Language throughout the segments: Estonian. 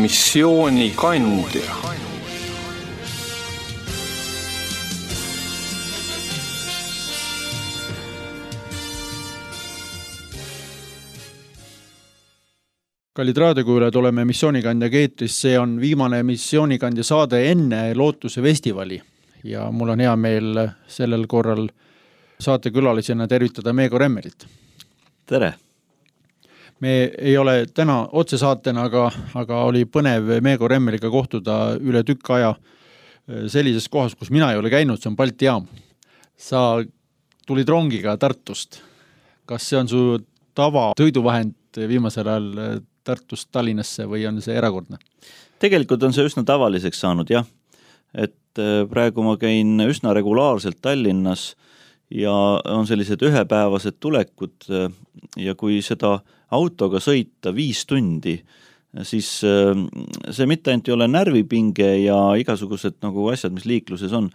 missioonikandja. Kallid raadiokuulajad, oleme missioonikandja keetris. See on viimane missioonikandja saade enne Lootuse festivali ja mul on hea meel sellel korral saatekülalisena tervitada Meego Remmerit. Tere! Me ei ole täna otsesaatena, aga oli põnev Meego Remmeriga kohtuda üle tükk aja sellises kohas, kus mina ei ole käinud, see on Balti jaam. Sa tulid rongiga Tartust. Kas see on su tava tõiduvahend viimasel ajal Tartust Tallinnasse või on see erakordne? Tegelikult on see üsna tavaliseks saanud, jah. Et praegu ma käin üsna regulaarselt Tallinnas ja on sellised ühepäevased tulekud ja kui seda autoga sõita 5 tundi, siis see mitte ainult ei ole närvipinge ja igasugused nagu asjad, mis liikluses on,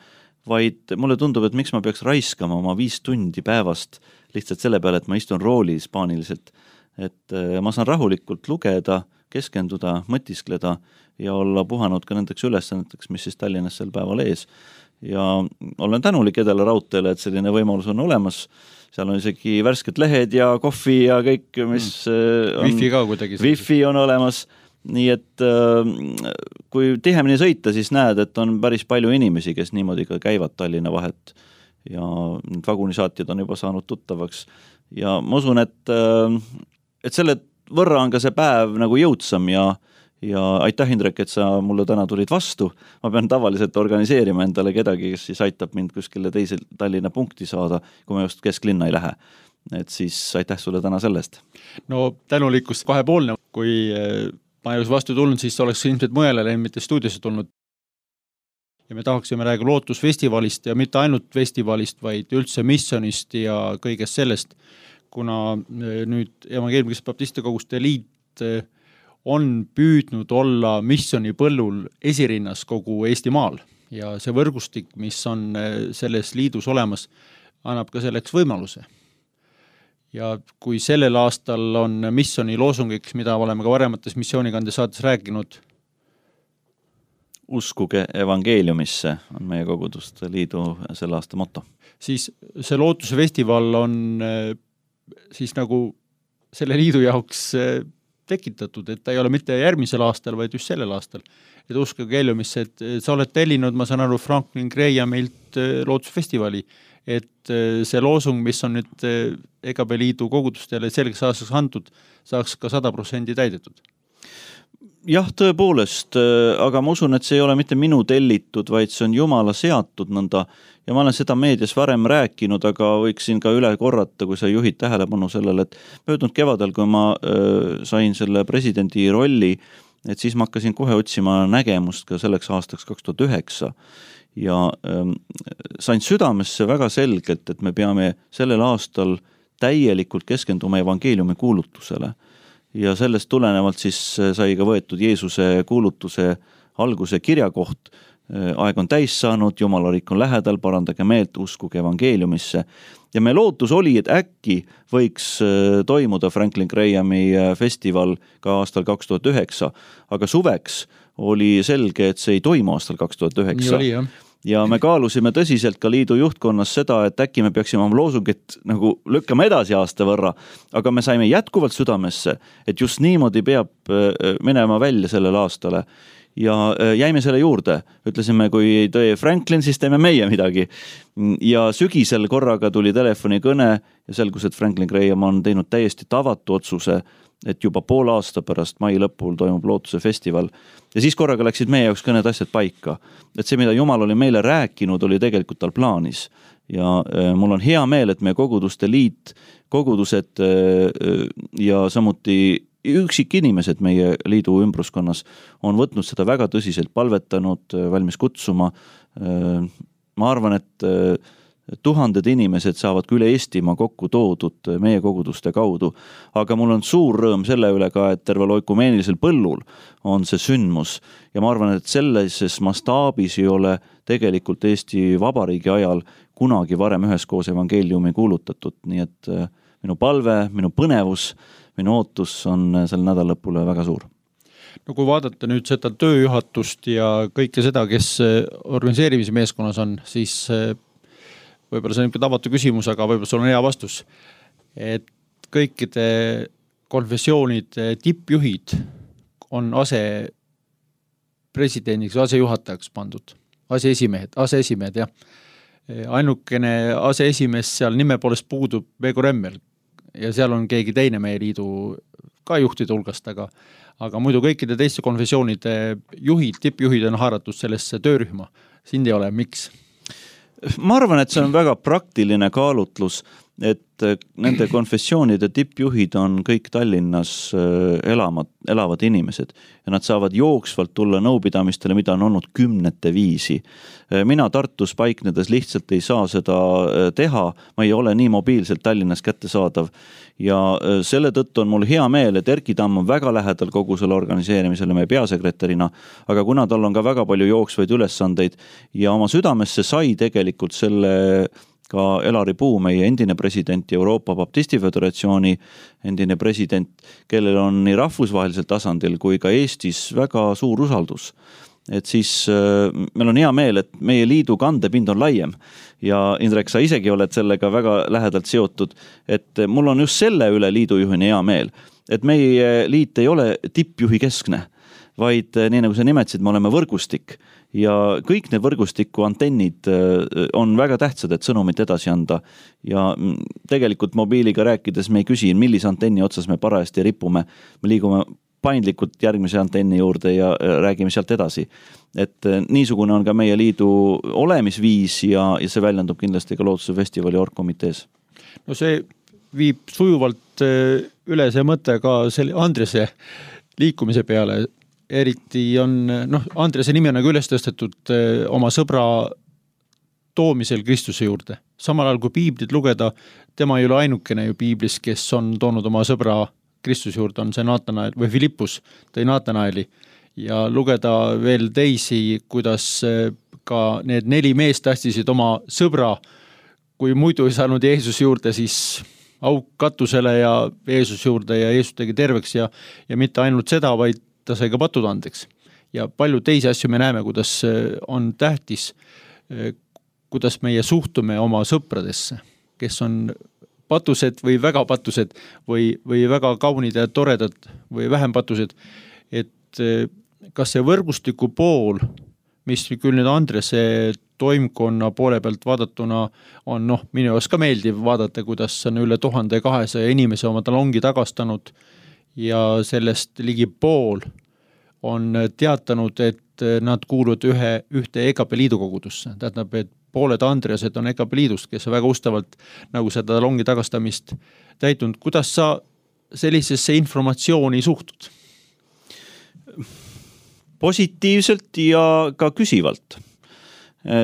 vaid mulle tundub, et miks ma peaks raiskama oma 5 tundi päevast lihtsalt selle peale, et ma istun roolis paaniliselt. Et ma saan rahulikult lugeda, keskenduda, mõtiskleda ja olla puhanud ka nendeks ülesanneteks, mis siis Tallinnas sel päeval ees. Ja olen tänulik Edela raudteele, et selline võimalus on olemas. Seal on isegi värsked lehed ja kohvi ja kõik, mis on... Wi-Fi ka kuidagi. Wi-Fi on olemas. Nii et kui tihemini sõita, siis näed, et on päris palju inimesi, kes niimoodi ka käivad Tallinna vahet. Ja vagunisaatjad on juba saanud tuttavaks. Ja ma usun, et selle võrra on ka see päev nagu jõudsam ja aitäh, Indrek, et sa mulle täna tulid vastu. Ma pean tavaliselt organiseerima endale kedagi, kes siis aitab mind kuskile teise Tallinna punkti saada, kui ma just kesklinna ei lähe. Et siis aitäh sulle täna sellest. No tänulikkust kahepoolne. Kui ma ei oleks vastu tulnud, siis oleks ilmselt mõjale mitte stuudiosse tulnud. Ja me tahaksime räägi Lootusfestivalist ja mitte ainult festivalist, vaid üldse missionist ja kõigest sellest, kuna nüüd Evangeelmilise Baptiste Koguste Liit on püüdnud olla missioni põllul esirinnas kogu Eesti maal ja see võrgustik, mis on selles liidus olemas, annab ka selleks võimaluse. Ja kui sellel aastal on missioni loosungiks, mida oleme ka varemates missioonikandja saates rääkinud, uskuge evangeeliumisse on meie koguduste liidu selle aasta motto. Siis see Lootuse festival on siis nagu selle liidu jaoks tekitatud, et ta ei ole mitte järgmisel aastal, vaid just sellel aastal. Et uskuge evangeeliumisse, et sa oled tellinud, ma saan aru, Franklin Grahamilt Lootusfestivali, et see loosung, mis on nüüd EGB liidu kogudustele selgeks aastaks antud, saaks ka 100% täidetud. Jah, tõepoolest, aga ma usun, et see ei ole mitte minu tellitud, vaid see on Jumala seatud nõnda ja ma olen seda meedias varem rääkinud, aga võiksin ka üle korrata, kui sa juhid tähelepanu sellele, et möödunud kevadel, kui ma sain selle presidendi rolli, et siis ma hakkasin kohe otsima nägemust ka selleks aastaks 2009 ja sain südamesse väga selgelt, et me peame sellel aastal täielikult keskenduma evangeeliumi kuulutusele. Ja sellest tulenevalt siis sai ka võetud Jeesuse kuulutuse alguse kirjakoht. Aeg on täis saanud, Jumalarik on lähedal, parandage meelt, uskuge evangeeliumisse. Ja me lootus oli, et äkki võiks toimuda Franklin Grahami festival ka aastal 2009, aga suveks oli selge, et see ei toimu aastal 2009. Nii oli, jah. Ja me kaalusime tõsiselt ka liidu juhtkonnas seda, et äkki me peaksime oma loosungit nagu lükkama edasi aasta võrra, aga me saime jätkuvalt südamesse, et just niimoodi peab minema välja sellel aastale. Ja jäime selle juurde, ütlesime, kui ei tee Franklin, siis teeme meie midagi. Ja sügisel korraga tuli telefonikõne ja selgus, et Franklin Graham on teinud täiesti tavatu otsuse, et juba pool aasta pärast mai lõpul toimub Lootuse festival. Ja siis korraga läksid meie jaoks ka need asjad paika. Et see, mida Jumal oli meile rääkinud, oli tegelikult tal plaanis. Ja mul on hea meel, et meie koguduste liit, kogudused ja samuti üksik inimesed meie liidu ümbruskonnas on võtnud seda väga tõsiselt, palvetanud, valmis kutsuma. Ma arvan, et tuhanded inimesed saavad küll Eestimaa kokku toodud meie koguduste kaudu, aga mul on suur rõõm selle üle ka, et tervel oikumeenilisel põllul on see sündmus ja ma arvan, et sellises mastaabis ei ole tegelikult Eesti Vabariigi ajal kunagi varem üheskoos evangeeliumi kuulutatud, nii et minu palve, minu põnevus, minu ootus on sel nädallõpule väga suur. No kui vaadata nüüd seda tööjuhatust ja kõike seda, kes organiseerimise meeskonnas on, siis võib-olla see on tavatu küsimus, aga võib-olla sul on hea vastus. Et kõikide konfessioonide tippjuhid on asepresidendiks, asejuhatajaks pandud. Aseesimehed, jah. Ainukene aseesimees seal nime poolest puudub Veiko Remmel ja seal on keegi teine meie liidu ka juhtide hulgast, aga muidu kõikide teiste konfessioonide juhid, tippjuhid on haaratud sellesse töörühma. Sind ei ole, miks? Ma arvan, et see on väga praktiline kaalutlus, et nende konfessioonide tippjuhid on kõik Tallinnas elavad inimesed ja nad saavad jooksvalt tulla nõupidamistele, mida on olnud 10 viisi. Mina Tartus paiknedes lihtsalt ei saa seda teha, ma ei ole nii mobiilselt Tallinnas kättesaadav ja selle tõttu on mul hea meel, et Erki Tamm on väga lähedal kogu selle organiseerimisele meie peasekretärina, aga kuna tal on ka väga palju jooksvaid ülesandeid ja oma südamesse sai tegelikult selle ka Elari Puu, meie endine president Euroopa Baptisti Föderatsiooni endine president, kellel on nii rahvusvahelisel tasandil kui ka Eestis väga suur usaldus. Et siis meil on hea meel, et meie liidu kandepind on laiem ja Indrek, sa isegi oled sellega väga lähedalt seotud, et mul on just selle üle liidujuhina hea meel, et meie liit ei ole tippjuhi keskne, vaid nii nagu sa nimetasid, me oleme võrgustik ja kõik need võrgustiku antennid on väga tähtsad, et sõnumit edasi anda ja tegelikult mobiiliga rääkides me ei küsi, millise antenni otsas me parajasti ripume, me liigume paindlikult järgmise antenni juurde ja räägime sealt edasi. Et niisugune on ka meie liidu olemisviis ja see väljendub kindlasti ka Lootuse festivali orgkomitees. No see viib sujuvalt üle see mõte ka selle Andrese liikumise peale. Eriti on, Andrese nimi on nagu üles tõstetud oma sõbra toomisel Kristuse juurde. Samal ajal kui piiblit lugeda, tema ei ole ainukene ju piiblis, kes on toonud oma sõbra Kristuse juurde, on see Naatanael või Filippus tõi Naatanaeli ja lugeda veel teisi, kuidas ka need 4 meest tähtisid oma sõbra, kui muidu ei saanud Jeesus juurde, siis auk katusele ja Jeesus juurde ja Jeesus tegi terveks ja mitte ainult seda, vaid ta sai ka patud andeks. Ja palju teisi asju me näeme, kuidas on tähtis, kuidas meie suhtume oma sõpradesse, kes on patused või väga patused või väga kaunid ja toredad või vähem patused. Et kas see võrgustiku pool, mis küll nüüd Andrese toimkonna poole pealt vaadatuna on minu jaoks ka meeldiv vaadata, kuidas on üle 1200 inimese oma talongi tagastanud ja sellest ligi pool on teatanud, et nad kuuluvad ühte EKP liidu kogudusse. Tähendab, et pooled Andresed on EKP liidust, kes on väga ustavalt nagu seda talongi tagastamist täitunud. Kuidas sa sellisesse informatsiooni suhtud? Positiivselt ja ka küsivalt.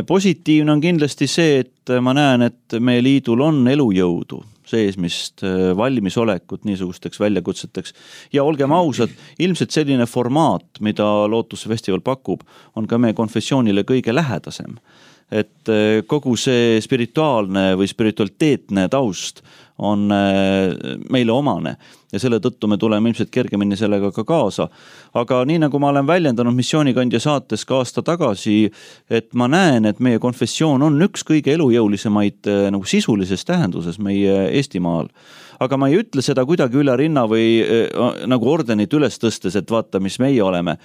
Positiivne on kindlasti see, et ma näen, et meie liidul on elujõudu seesmist valmisolekut niisugusteks väljakutseteks. Ja olgem ausad, ilmselt selline formaat, mida Lootuse festival pakub, on ka meie konfessioonile kõige lähedasem. Et kogu see spirituaalne või spiritualiteetne taust on meile omane ja selle tõttu me tuleme ilmselt kergemini sellega ka kaasa. Aga nii nagu ma olen väljendanud missioonikandja saates ka aasta tagasi, et ma näen, et meie konfessioon on üks kõige elujõulisemaid nagu sisulises tähenduses meie Eestimaal. Aga ma ei ütle seda kuidagi üle rinna või nagu ordenit üles tõstes, et vaata, mis meie oleme.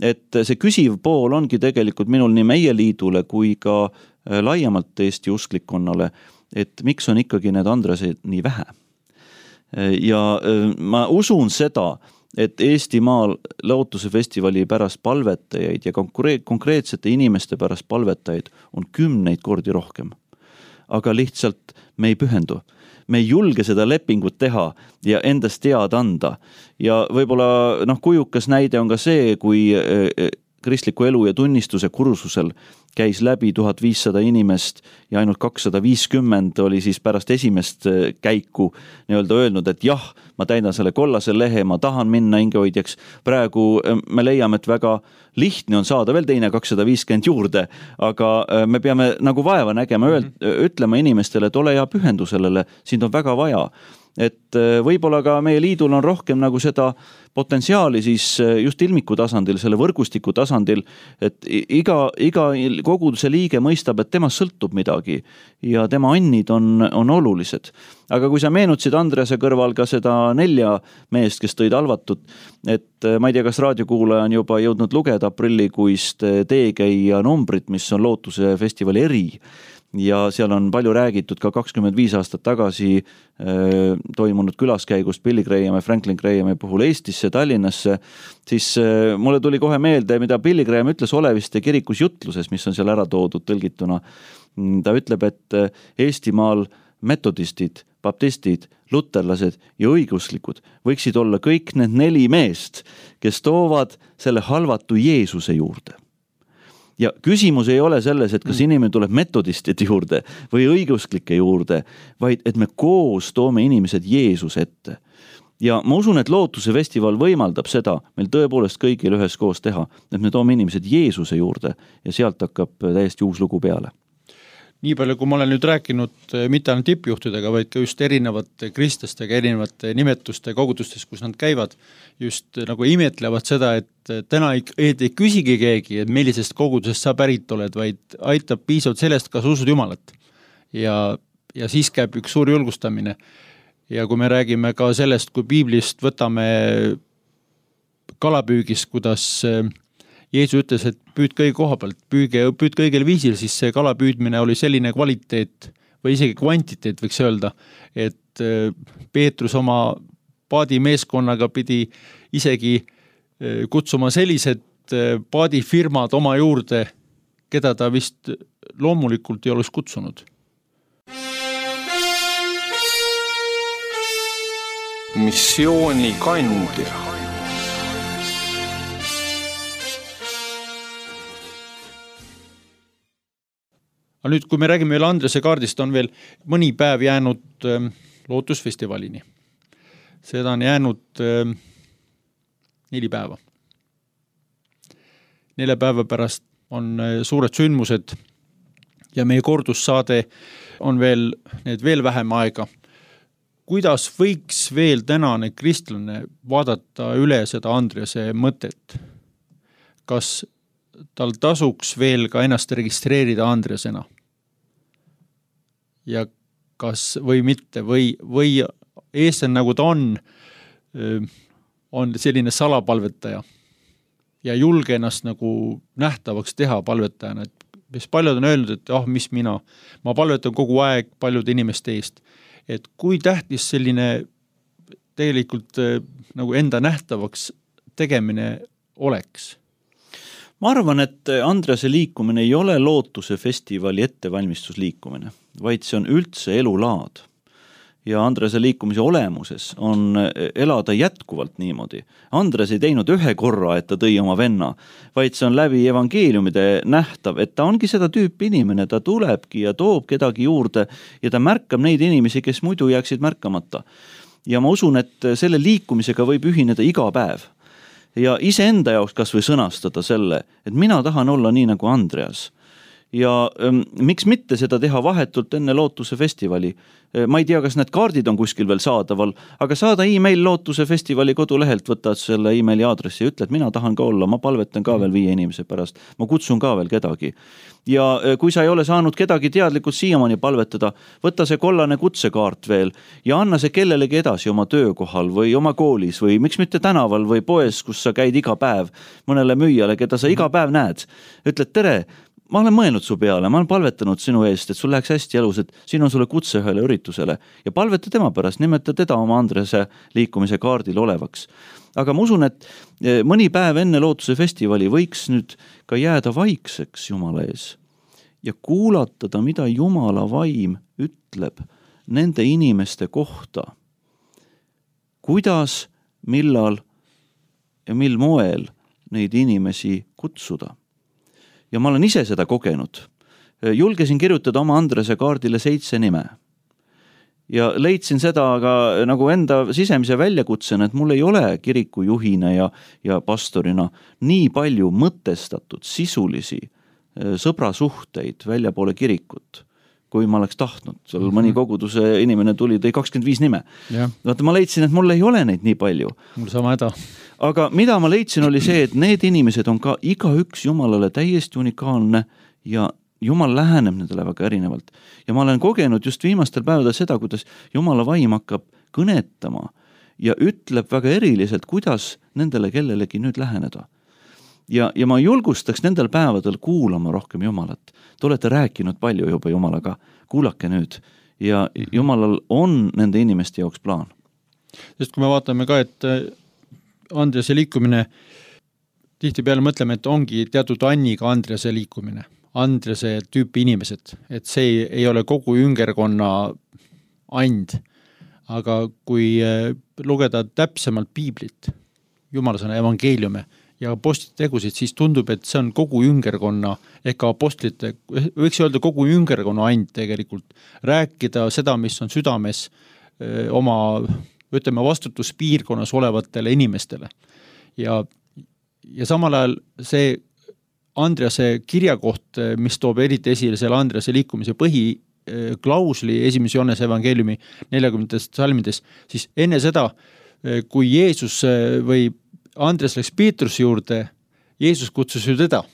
Et see küsiv pool ongi tegelikult minul nii meie liidule kui ka laiemalt Eesti usklikkonnale, et miks on ikkagi need Andresed nii vähe. Ja ma usun seda, et Eestimaal Lootuse festivali pärast palvetajaid ja konkreetsete inimeste pärast palvetajaid on 10 kordi rohkem. Aga lihtsalt me ei pühendu. Me ei julge seda lepingut teha ja endast teada anda. Ja võib-olla kujukas näide on ka see, kui kristliku elu ja tunnistuse kursusel käis läbi 1500 inimest ja ainult 250 oli siis pärast esimest käiku nii-öelda öelnud, et jah, ma täidan selle kollase lehe, ma tahan minna hingehoidjaks. Praegu me leiame, et väga lihtne on saada veel teine 250 juurde, aga me peame nagu vaeva nägema, ütlema inimestele, et ole ja pühendu sellele, sind on väga vaja. et võib-olla ka meie liidul on rohkem nagu seda potentsiaali siis just ilmiku tasandil, selle võrgustiku tasandil, et iga koguduse liige mõistab, et temast sõltub midagi ja tema annid on olulised. Aga kui sa meenutasid Andrease kõrval ka seda 4 meest, kes tõid halvatut, et ma ei tea, kas raadiokuulaja on juba jõudnud lugeda aprillikuist teekäija numbrit, mis on Lootuse festivali eri. Ja seal on palju räägitud ka 25 aastat tagasi toimunud külaskäigust Billy Graham ja Franklin Grahami puhul Eestisse, Tallinnasse, siis mulle tuli kohe meelde, mida Billy Graham ütles Oleviste kirikus jutluses, mis on seal ära toodud tõlgituna. Ta ütleb, et Eestimaal metodistid, baptistid, luterlased ja õiguslikud võiksid olla kõik need 4 meest, kes toovad selle halvatu Jeesuse juurde. Ja küsimus ei ole selles, et kas inimene tuleb metodistide juurde või õigusklike juurde, vaid et me koos toome inimesed Jeesus ette. Ja ma usun, et Lootuse festival võimaldab seda meil tõepoolest kõigil ühes koos teha, et me toome inimesed Jeesuse juurde ja sealt hakkab täiesti uus lugu peale. Nii palju, kui ma olen nüüd rääkinud mitte ainult tippjuhtidega, vaid ka just erinevate kristlastega, erinevate nimetuste kogudustes, kus nad käivad, just nagu imetlevad seda, et täna ei küsigi keegi, et millisest kogudusest sa pärit oled, vaid aitab piisavalt sellest, kas usud Jumalat. Ja siis käib üks suur julgustamine. Ja kui me räägime ka sellest, kui piiblist võtame kalapüügist, kuidas Jeesus ütles, et püüd kõige koha pealt, püüd kõigel viisil, siis see kalapüüdmine oli selline kvaliteet või isegi kvantiteet võiks öelda, et Peetrus oma paadimeeskonnaga pidi isegi kutsuma sellised paadifirmad oma juurde, keda ta vist loomulikult ei oleks kutsunud. Missiooni kandja. Aga nüüd, kui me räägime veel Andrese kaardist, on veel mõni päev jäänud Lootusfestivalini. Seda on jäänud 4 päeva. 4 päeva pärast on suured sündmused ja meie kordussaade on veel vähem aega. Kuidas võiks veel tänane kristlane vaadata üle seda Andrese mõtet? Kas tal tasuks veel ka ennast registreerida Andresena? Ja kas või mitte, või eestlane nagu ta on selline salapalvetaja ja julge ennast nagu nähtavaks teha palvetajana, et paljud on öelnud, et mis ma palvetan kogu aeg paljude inimeste eest, et kui tähtis selline tegelikult nagu enda nähtavaks tegemine oleks? Ma arvan, et Andrese liikumine ei ole Lootuse festivali ettevalmistusliikumine, vaid see on üldse elulaad. Ja Andrese liikumise olemuses on elada jätkuvalt niimoodi. Andres ei teinud 1 korra, et ta tõi oma venna, vaid see on läbi evangeeliumide nähtav, et ta ongi seda tüüpi inimene, ta tulebki ja toob kedagi juurde ja ta märkab neid inimesi, kes muidu jääksid märkamata. Ja ma usun, et selle liikumisega võib ühineda iga päev. Ja iseenda jaoks kas või sõnastada selle, et mina tahan olla nii nagu Andreas. Ja miks mitte seda teha vahetult enne Lootuse festivali? Ma ei tea, kas need kaardid on kuskil veel saadaval, aga saada e-mail Lootuse festivali kodulehelt, võtad selle e-maili aadressi ja ütled, mina tahan ka olla, ma palvetan ka veel 5 inimese pärast, ma kutsun ka veel kedagi. Ja kui sa ei ole saanud kedagi teadlikult siiamaani palvetada, võta see kollane kutsekaart veel ja anna see kellelegi edasi oma töökohal või oma koolis või miks mitte tänaval või poes, kus sa käid iga päev mõnele müüjale, keda sa iga päev näed. Ütled, tere, ma olen mõelnud su peale, ma olen palvetanud sinu eest, et sul läheks hästi elus, et siin on sulle kutse ühele üritusele ja palveta tema pärast, nimeta teda oma Andrese liikumise kaardil olevaks. Aga ma usun, et mõni päev enne Lootuse festivali võiks nüüd ka jääda vaikseks Jumala ees ja kuulatada, mida Jumala vaim ütleb nende inimeste kohta. Kuidas, millal ja mil moel neid inimesi kutsuda. Ja ma olen ise seda kogenud. Julgesin kirjutada oma Andrese kaardile 7 nime. Ja leidsin seda aga nagu enda sisemise väljakutsena, et mul ei ole kiriku juhina ja pastorina nii palju mõtestatud sisulisi sõbrasuhteid väljapoole kirikut, kui ma oleks tahtnud. Seal mõni koguduse inimene tuli, tõi 25 nime. Vaata, ma leidsin, et mul ei ole neid nii palju. Mul sama häda. Aga mida ma leidsin, oli see, et need inimesed on ka igaüks Jumalale täiesti unikaalne ja Jumal läheneb nendele väga erinevalt. Ja ma olen kogenud just viimastel päevadel seda, kuidas Jumala vaim hakkab kõnetama ja ütleb väga eriliselt, kuidas nendele kellelegi nüüd läheneda. Ja ma julgustaks nendel päevadel kuulama rohkem Jumalat. Te olete rääkinud palju juba Jumalaga, kuulake nüüd. Ja Jumalal on nende inimeste jaoks plaan. Sest kui me vaatame ka, et Andrease liikumine, tihti peale mõtleme, et ongi teatud Anniga Andrease liikumine, Andrease tüüpi inimesed, et see ei ole kogu üngerkonna and. Aga kui lugeda täpsemalt piiblit, Jumalasõna evangeeliume ja apostlite tegusid, siis tundub, et see on kogu üngerkonna ehk apostlite, võiks öelda kogu üngerkonna and tegelikult. Rääkida seda, mis on südames oma, ütleme, vastutuspiirkonnas olevatele inimestele. Ja samal ajal see Andrease kirjakoht, mis toob eriti esile selle Andrease liikumise põhiklausli 1. Johannese evangeeliumi 40. salmides, siis enne seda, kui Jeesus või Andres läks Peetruse juurde, Jeesus kutsus ju teda.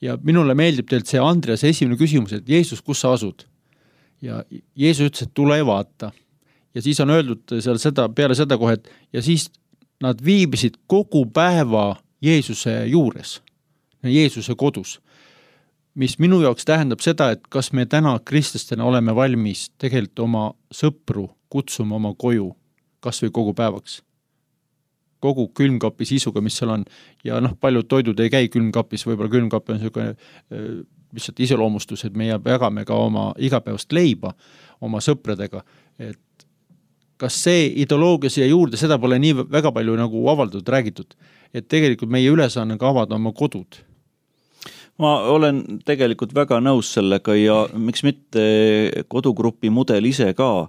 Ja minule meeldib teilt see Andrease esimene küsimus, et Jeesus, kus sa asud? Ja Jeesus ütles, et tule vaata. Ja siis on öeldud seal seda, peale seda kohe, et ja siis nad viibisid kogu päeva Jeesuse juures, Jeesuse kodus, mis minu jaoks tähendab seda, et kas me täna kristlastena oleme valmis tegelikult oma sõpru kutsuma oma koju, kas või kogu päevaks. Kogu külmkapi sisuga, mis seal on. Ja paljud toidud ei käi külmkapis, võib-olla külmkapi on lihtsalt iseloomustus, et me jagame ka oma igapäevast leiba oma sõpradega. Et kas see ideoloogia siia juurde, seda pole nii väga palju nagu avaldatud, räägitud, et tegelikult meie ülesanne ka avada oma kodud. Ma olen tegelikult väga nõus sellega ja miks mitte kodugrupi mudel ise ka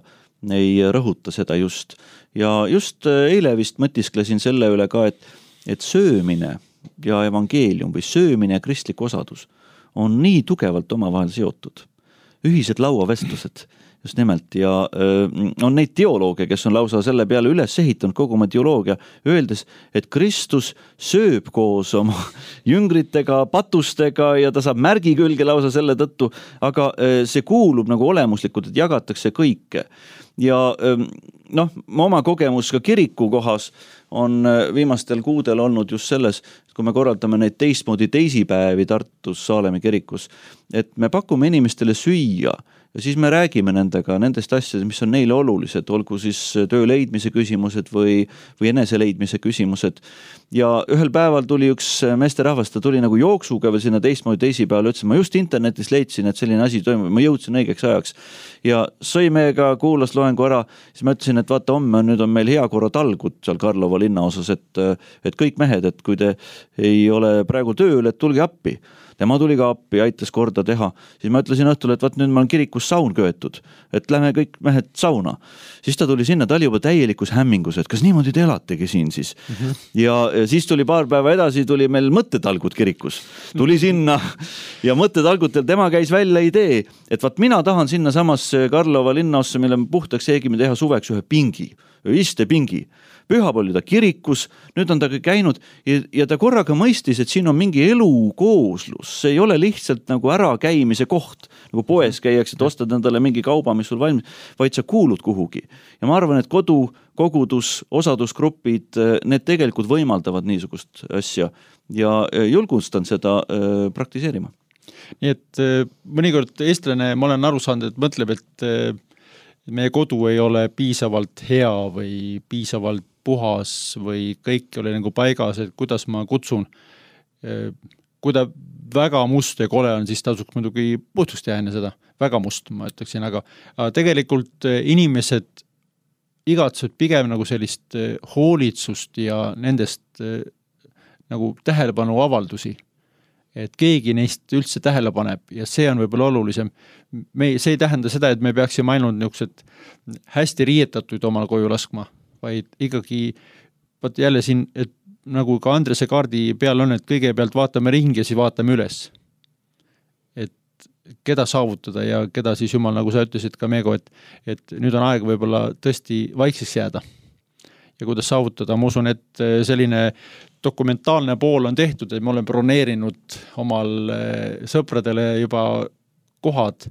ei rõhuta seda just. Ja just eile vist mõtisklesin selle üle ka, et söömine ja evangeelium või söömine ja kristlik osadus on nii tugevalt omavahel seotud. Ühised lauavestlused just nimelt ja on neid teoloogia, kes on lausa selle peale üles ehitanud kogu oma teoloogia, öeldes, et Kristus sööb koos oma jüngritega, patustega ja ta saab märgi külge lausa selle tõttu, aga see kuulub nagu olemuslikult, et jagatakse kõike. Ja oma kogemus ka kiriku kohas on viimastel kuudel olnud just selles, kui me korraldame neid teistmoodi teisipäevi Tartus Saalemi kirikus, et me pakume inimestele süüa ja siis me räägime nendega nendest asjadest, mis on neile olulised, olgu siis töö leidmise küsimused või enese leidmise küsimused. Ja ühel päeval tuli üks meesterahvas, ta tuli nagu jooksuga või sinna teistmoodi teisipäeval, ütles, ma just internetis leidsin, et selline asi toimub, ma jõudsin õigeks ajaks. Ja sõi meiega, kuulas loengu ära, siis ma ütlesin, et vaata homme, nüüd on meil heakorratalgud seal Karlova linnaosas, et kõik mehed, et kui te ei ole praegu tööl, et tulge appi. Tema tuli ka appi, aitas korda teha. Siis ma ütlesin õhtul, et vaat nüüd ma olen kirikus saun köetud, et lähme kõik mehed sauna. Siis ta tuli sinna, ta oli juba täielikus hämmingus, et kas niimoodi te elategi siin siis. Ja siis tuli paar päeva edasi, tuli meil mõttetalgud kirikus. Tuli sinna ja mõttetalgutel tema käis välja idee, et vaat mina tahan sinna samasse Karlova linnaossa, mille me puhtaks eegime teha suveks ühe pingi, istepingi. Pühapall oli ta kirikus, nüüd on ta käinud ja ta korraga mõistis, et siin on mingi elukooslus. See ei ole lihtsalt nagu ära käimise koht, nagu poes käiaks, et ostad endale mingi kauba, mis sul valmis, vaid sa kuulud kuhugi. Ja ma arvan, et kogudus, osadusgrupid, need tegelikult võimaldavad niisugust asja ja julgustan seda praktiseerima. Nii et mõnikord eestlane, ma olen aru saanud, et mõtleb, et meie kodu ei ole piisavalt hea või piisavalt puhas või kõik oli nagu paigas, et kuidas ma kutsun. Kui ta väga must ja kole on, siis tasuks muidugi puhtust teha enne seda. Väga must, ma ütleksin, aga tegelikult inimesed igatsevad pigem nagu sellist hoolitsust ja nendest nagu tähelepanu avaldusi. Et keegi neist üldse tähele paneb ja see on võib-olla olulisem. See ei tähenda seda, et me peaksime ainult niisugused hästi riietatud omal koju laskma, vaid ikkagi jälle siin, et nagu ka Andrese kaardi peal on, et kõigepealt vaatame ringi ja siis vaatame üles. Et keda saavutada ja keda siis Jumal, nagu sa ütlesid ka Meego, et nüüd on aeg võib-olla tõesti vaikseks jääda. Ja kuidas saavutada, ma usun, et selline dokumentaalne pool on tehtud, et me oleme broneerinud omal sõpradele juba kohad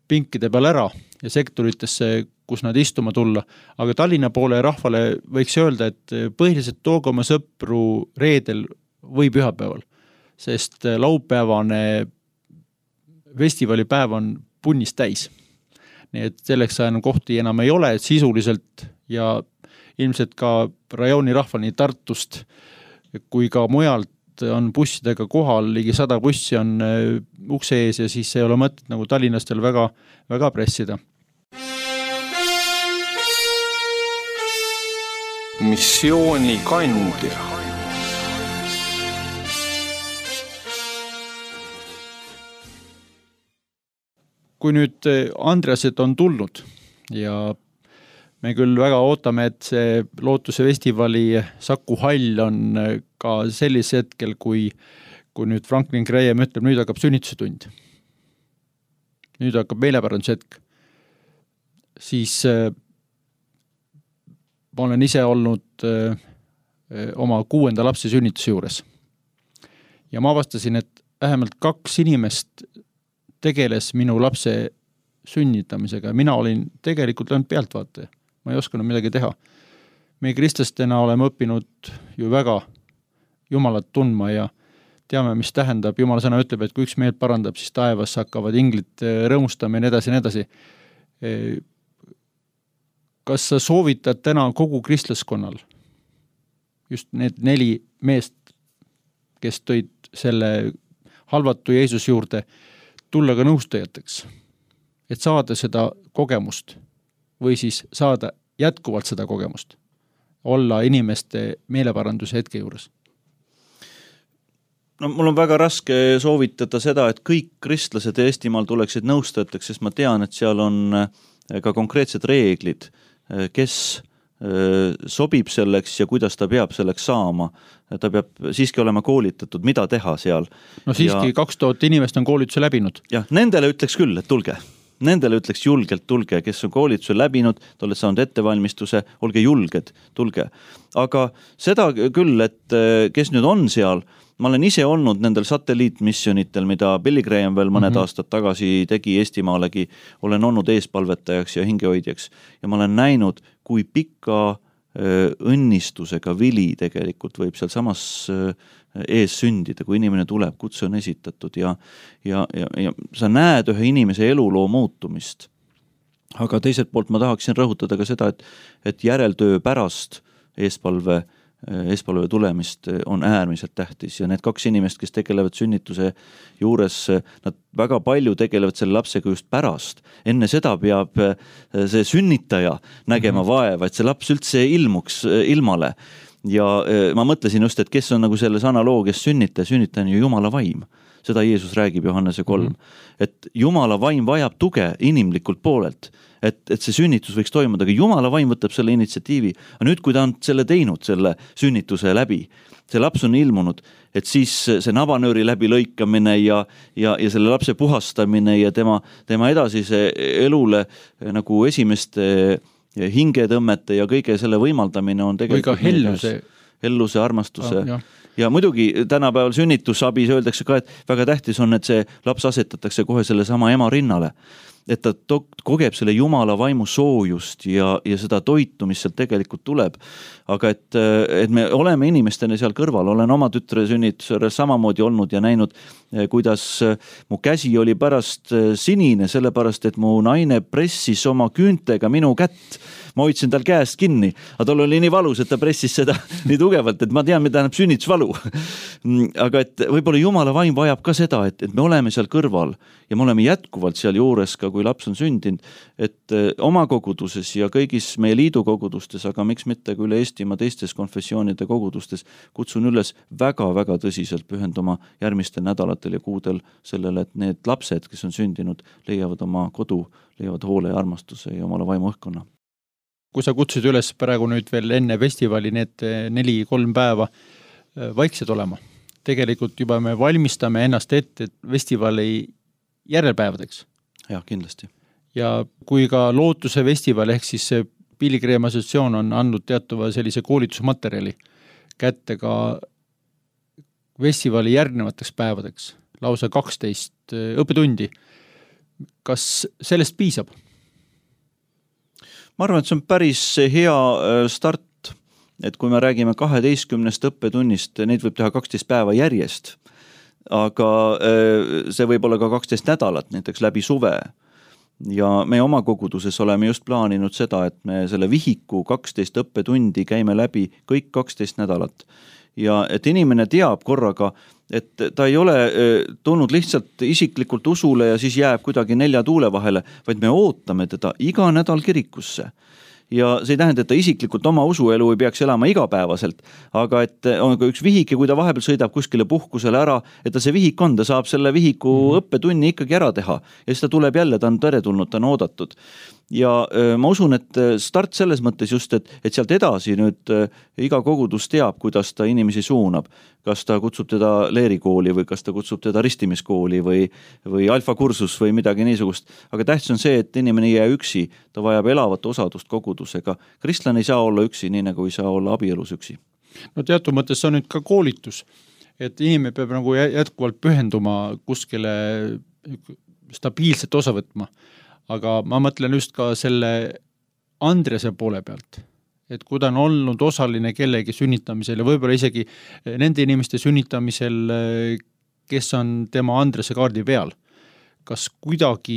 pinkide peal ära ja sektoritesse, kus nad istuma tulla. Aga Tallinna poole rahvale võiks öelda, et põhiliselt tooge oma sõpru reedel või pühapäeval, sest laupäevane festivalipäev on punnis täis. Nii et selleks enam kohti enam ei ole sisuliselt ja ilmselt ka rajooni rahval nii Tartust kui ka mujalt on bussidega kohal, ligi 100 bussi on ukse ees ja siis ei ole mõtet nagu Tallinnastel väga, väga pressida. Missioonikandja. Kui nüüd Andreased on tulnud ja me küll väga ootame, et see Lootuse festivali Saku Hall on ka sellis hetkel, kui nüüd Franklin Graham ütleb, nüüd hakkab sünnituse tund. Nüüd hakkab meelepäranduse hetk. Siis ma olen ise olnud oma 6. lapse sünnituse juures. Ja ma avastasin, et vähemalt 2 inimest tegeles minu lapse sünnitamisega. Mina olin tegelikult ainult pealtvaataja. Ma ei osanud midagi teha. Me kristlastena oleme õppinud ju väga Jumalat tundma ja teame, mis tähendab. Jumala sõna ütleb, et kui üks meelt parandab, siis taevas hakkavad inglid rõõmustama ja nii edasi ja nii edasi. Kas sa soovitad täna kogu kristlaskonnal, just need 4 meest, kes tõid selle halvatu Jeesus juurde, tulla ka nõustajateks, et saada seda kogemust või siis saada jätkuvalt seda kogemust, olla inimeste meeleparanduse hetke juures? No mul on väga raske soovitada seda, et kõik kristlased Eestimaal tuleksid nõustajateks, sest ma tean, et seal on ka konkreetsed reeglid, kes sobib selleks ja kuidas ta peab selleks saama. Ta peab siiski olema koolitatud, mida teha seal. No siiski 2000 inimest on koolituse läbinud. Jah, nendele ütleks küll, et tulge. Nendele ütleks julgelt tulge, kes on koolituse läbinud, te olete saanud ettevalmistuse, olge julged, tulge. Aga seda küll, et kes nüüd on seal, ma olen ise olnud nendel satelliitmisjonitel, mida Billy Graham veel mõned aastad tagasi tegi Eestimaalegi, olen olnud eespalvetajaks ja hingehoidjaks ja ma olen näinud, kui pika õnnistusega vili tegelikult võib seal samas ees sündida, kui inimene tuleb, kutse on esitatud ja sa näed ühe inimese eluloo muutumist. Aga teiselt poolt ma tahaksin rõhutada ka seda, et järeltöö pärast eespalve tulemist on äärmiselt tähtis ja need 2 inimest, kes tegelevad sünnituse juures, nad väga palju tegelevad selle lapsega just pärast. Enne seda peab see sünnitaja nägema vaeva, et see laps üldse ilmuks ilmale. Ja ma mõtlesin just, et kes on nagu selles analoogias sünnitaja on ju Jumala vaim. Seda Jeesus räägib Johannese 3. Et Jumala vaim vajab tuge inimlikult poolelt, et see sünnitus võiks toimuda, aga Jumala vaim võtab selle initsiatiivi. Aga nüüd, kui ta on selle teinud, selle sünnituse läbi, see laps on ilmunud, et siis see nabanööri läbi lõikamine ja selle lapse puhastamine ja tema edasise elule nagu esimeste hingetõmmete ja kõige selle võimaldamine on tegelikult helluse, armastuse. Ja muidugi tänapäeval sünnitusabis öeldakse ka, et väga tähtis on, et see laps asetatakse kohe selle sama ema rinnale. Et ta kogeb selle Jumala vaimu soojust ja seda toitu, mis sealt tegelikult tuleb. Aga et me oleme inimestena seal kõrval, olen oma tütre sünnitusele samamoodi olnud ja näinud, kuidas mu käsi oli pärast sinine, sellepärast, et mu naine pressis oma küüntega minu kätt. Ma hoidsin tal käest kinni, aga tal oli nii valus, et ta pressis seda nii tugevalt, et ma tean, mida tähendab sünnitusvalu. Aga et võib-olla Jumala vaim vajab ka seda, et me oleme seal kõrval ja me oleme jätkuvalt seal juures ka, kui laps on sündinud, et oma koguduses ja kõigis meie liidu kogudustes, aga miks mitte kui üle Eestimaa teistes konfessioonide kogudustes, kutsun üles väga-väga tõsiselt pühenduma järgmistel nädalatel ja kuudel sellele, et need lapsed, kes on sündinud, leiavad oma kodu, leiavad hoole ja armastuse ja Jumala vaimu õhkkonna. Kui sa kutsid üles praegu nüüd veel enne festivali need 4-3 päeva vaiksed olema. Tegelikult juba me valmistame ennast ette festivali järelpäevadeks. Jah, kindlasti. Ja kui ka Lootuse festival ehk siis see Pilgrim Assotsiatsioon on andnud teatuva sellise koolitusmaterjali kätte ka festivali järgnevateks päevadeks, lausa 12 õppetundi. Kas sellest piisab? Ma arvan, et see on päris hea start, et kui me räägime 12 õppetunnist, neid võib teha 12 päeva järjest, aga see võib olla ka 12 nädalat, näiteks läbi suve. Ja me oma koguduses oleme just plaaninud seda, et me selle vihiku 12 õppetundi käime läbi kõik 12 nädalat. Ja et inimene teab korraga, et ta ei ole tulnud lihtsalt isiklikult usule ja siis jääb kuidagi 4 tuule vahele, vaid me ootame teda iga nädal kirikusse. Ja see ei tähenda, et ta isiklikult oma usuelu ei peaks elama igapäevaselt, aga et on ka üks vihik ja kui ta vahepeal sõidab kuskile puhkusele ära, et ta see vihik on, ta saab selle vihiku õppetunni ikkagi ära teha ja siis ta tuleb jälle, ta on teretulnud, ta on oodatud. Ja ma usun, et start selles mõttes just, et sealt edasi nüüd iga kogudus teab, kuidas ta inimesi suunab. Kas ta kutsub teda leerikooli või kas ta kutsub teda ristimiskooli või alfakursus või midagi niisugust. Aga tähtis on see, et inimene ei jää üksi, ta vajab elavat osadust kogudusega. Kristlane ei saa olla üksi, nii nagu ei saa olla abielus üksi. No teatud mõttes see on nüüd ka koolitus, et inimene peab nagu jätkuvalt pühenduma kuskile stabiilselt osa võtma. Aga ma mõtlen just ka selle Andrese poole pealt, et kui ta on olnud osaline kellegi sünnitamisel ja võib-olla isegi nende inimeste sünnitamisel, kes on tema Andrese kaardi peal, kas kuidagi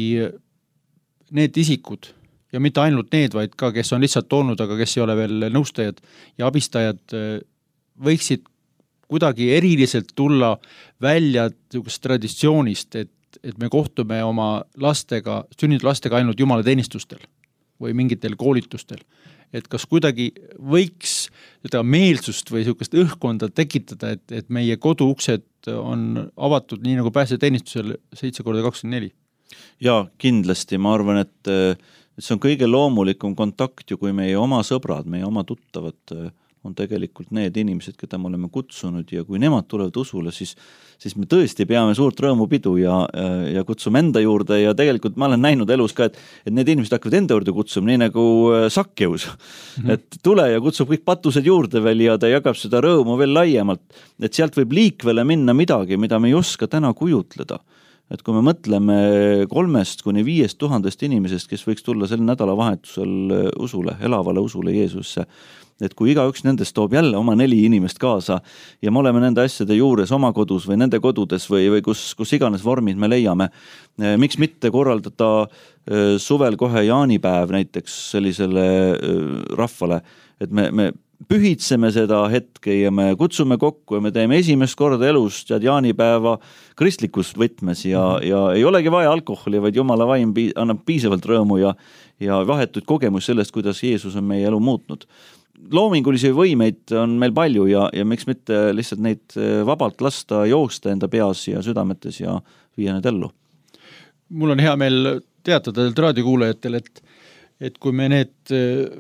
need isikud ja mitte ainult need, vaid ka kes on lihtsalt olnud, aga kes ei ole veel nõustajad ja abistajad, võiksid kuidagi eriliselt tulla välja traditsioonist, et me kohtume oma lastega, sünnitud lastega ainult jumala teenistustel või mingitel koolitustel. Et kas kuidagi võiks seda meelsust või sellist õhkkonda tekitada, et meie koduuksed on avatud nii nagu päästeteenistusel 7x24? Ja kindlasti, ma arvan, et see on kõige loomulikum kontakt ju, kui meie oma sõbrad, meie oma tuttavad on tegelikult need inimesed, keda me oleme kutsunud ja kui nemad tulevad usule, siis me tõesti peame suurt rõõmupidu ja kutsume enda juurde ja tegelikult ma olen näinud elus ka, et need inimesed hakkavad enda juurde kutsuma, nii nagu Sakkeus. Et tule ja kutsub kõik patused juurde veel ja ta jagab seda rõõmu veel laiemalt, et sealt võib liikvele minna midagi, mida me ei oska täna kujutleda. Et kui me mõtleme 3,000–5,000 inimesest, kes võiks tulla sel nädalavahetusel usule, elavale usule Jeesusse, et kui igaüks nendest toob jälle oma 4 inimest kaasa ja me oleme nende asjade juures oma kodus või nende kodudes või kus iganes vormid me leiame, miks mitte korraldada suvel kohe jaanipäev näiteks sellisele rahvale, et me pühitseme seda hetke ja me kutsume kokku ja me teeme esimest korda elust ja jaanipäeva kristlikus võtmes ja ei olegi vaja alkoholi, vaid Jumala vaim annab piisavalt rõõmu ja vahetuid kogemus sellest, kuidas Jeesus on meie elu muutnud. Loomingulisi võimeid on meil palju ja miks mitte lihtsalt neid vabalt lasta joosta enda peas ja südametes ja viia need ellu. Mul on hea meel teatada raadiokuulajatel, et kui me need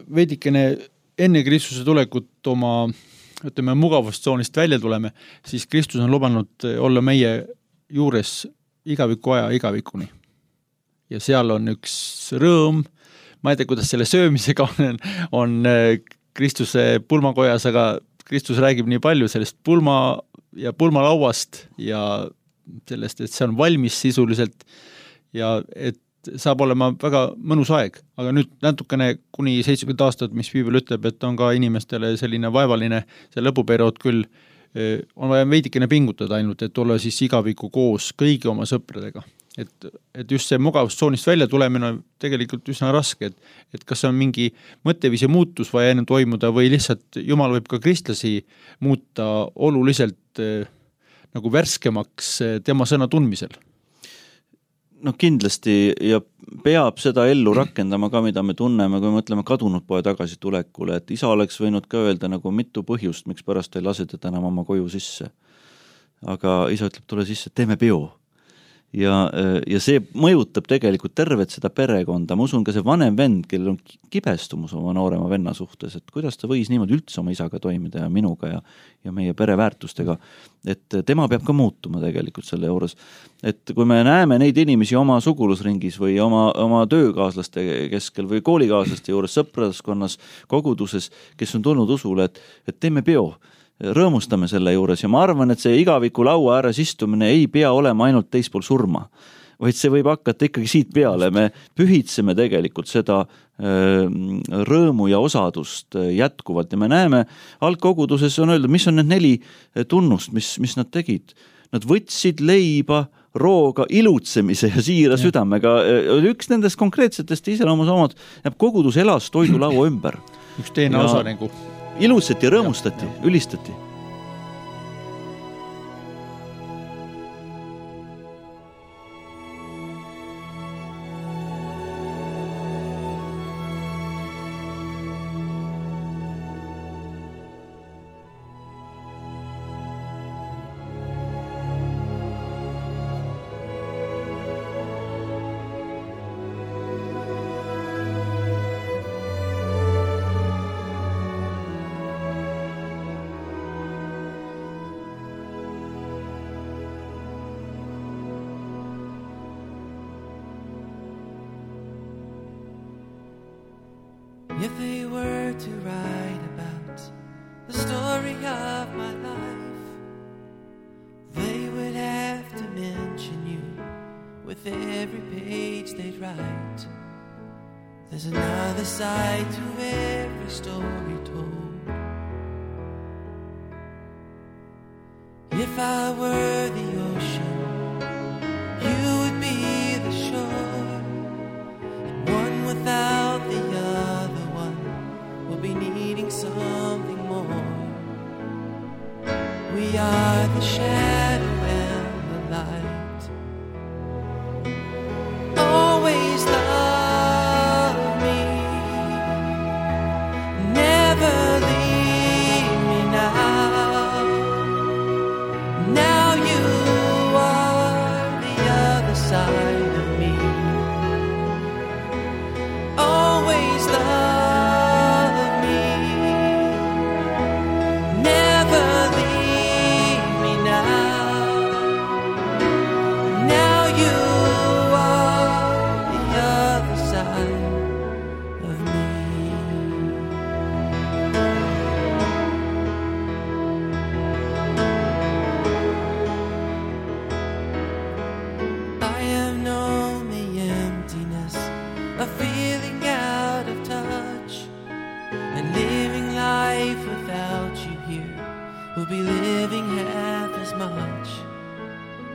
veidikene enne Kristuse tulekut oma mugavustsoonist välja tuleme, siis Kristus on lubanud olla meie juures igaviku aja igavikuni. Ja seal on üks rõõm, ma ei tea, kuidas selle söömisega on Kristuse pulmakojas, aga Kristus räägib nii palju sellest pulma ja pulmalauast ja sellest, et see on valmis sisuliselt ja et saab olema väga mõnus aeg. Aga nüüd natukene kuni 70 aastat, mis Piibel ütleb, et on ka inimestele selline vaevaline see lõpuperiood küll, on vaja veidikene pingutada ainult, et olla siis igaviku koos kõigi oma sõpradega. Et just see mugavustsoonist välja tulemine on tegelikult üsna raske, et kas on mingi mõtteviisi muutus vaja enne toimuda või lihtsalt Jumal võib ka kristlasi muuta oluliselt nagu värskemaks tema sõna tundmisel. No kindlasti ja peab seda ellu rakendama ka, mida me tunneme, kui me mõtleme kadunud poe tagasi tulekule, et isa oleks võinud ka öelda nagu mitu põhjust, miks pärast ei lase teda enam oma koju sisse. Aga isa ütleb, tule sisse, teeme peo. ja see mõjutab tegelikult tervet seda perekonda. Ma usun ka see vanem vend, kellel on kibestumus oma noorema venna suhtes, et kuidas ta võis niimoodi üldse oma isaga toimida ja minuga ja meie pereväärtustega, et tema peab ka muutuma tegelikult selle juures. Et kui me näeme neid inimesi oma sugulusringis või oma töökaaslaste keskel või koolikaaslaste juures, sõpraskonnas, koguduses, kes on tulnud usule, et teeme peo, rõõmustame selle juures ja ma arvan, et see igaviku laua ääres istumine ei pea olema ainult teispool surma, vaid see võib hakata ikkagi siit peale. Me pühitseme tegelikult seda rõõmu ja osadust jätkuvalt ja me näeme algkoguduses on öeldud, mis on need 4 tunnust, mis nad tegid. Nad võtsid leiba, rooga, ilutsemise ja siira südamega. Üks nendest konkreetsetest iseloomusomad jääb kogudus elas toidulaua ümber. Üks teine osa nagu ilutsati ja rõõmustati, ülistati. If they were to write about the story of my life, they would have to mention you with every page they'd write. There's another side to every story told. If I were the ocean, you would be the shore, and one without the other will be needing something more. We are the shadow and the light. Always love me, never leave me now. Now you are the other side of me. Always love. We'll be living half as much,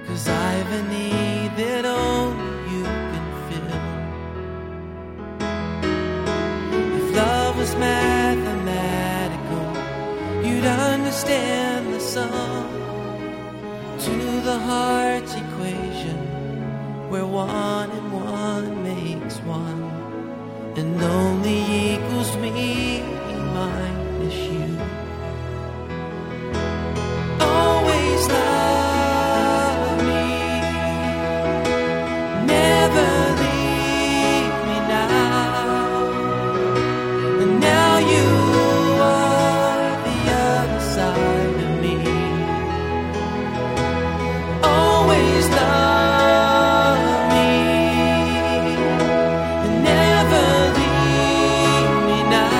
'cause I've a need that only you can fill. If love was mathematical, you'd understand the sum to the heart's equation, where 1 and 1 makes 1, and only equals me minus you. Love me, never leave me now. And now you are the other side of me. Always love me, and never leave me now.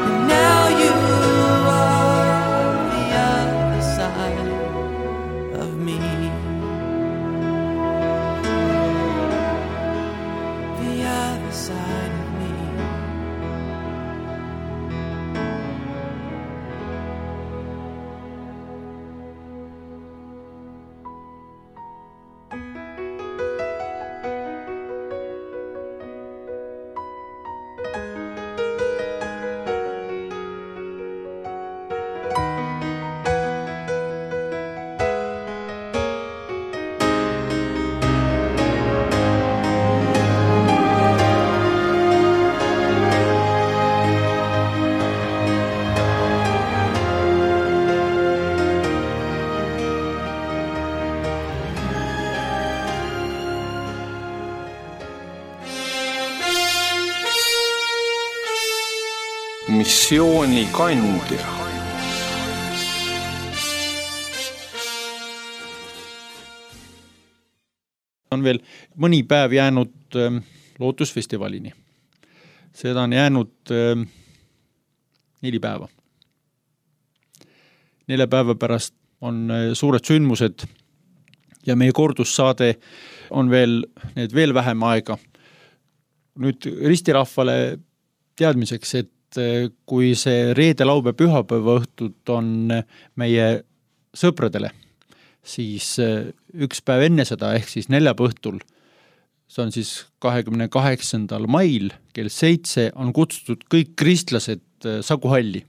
And missioonikandja. On veel mõni päev jäänud lootusfestivalini. Seda on jäänud 4 päeva. 4 päeva pärast on suured sündmused ja meie kordussaade on veel vähem aega. Nüüd ristirahvale teadmiseks, et kui see reede, laupäev, pühapäeva õhtud on meie sõpradele, siis üks päev enne seda, ehk siis neljapäeva õhtul, see on siis 28. mail kell 7 on kutsutud kõik kristlased Saku halli.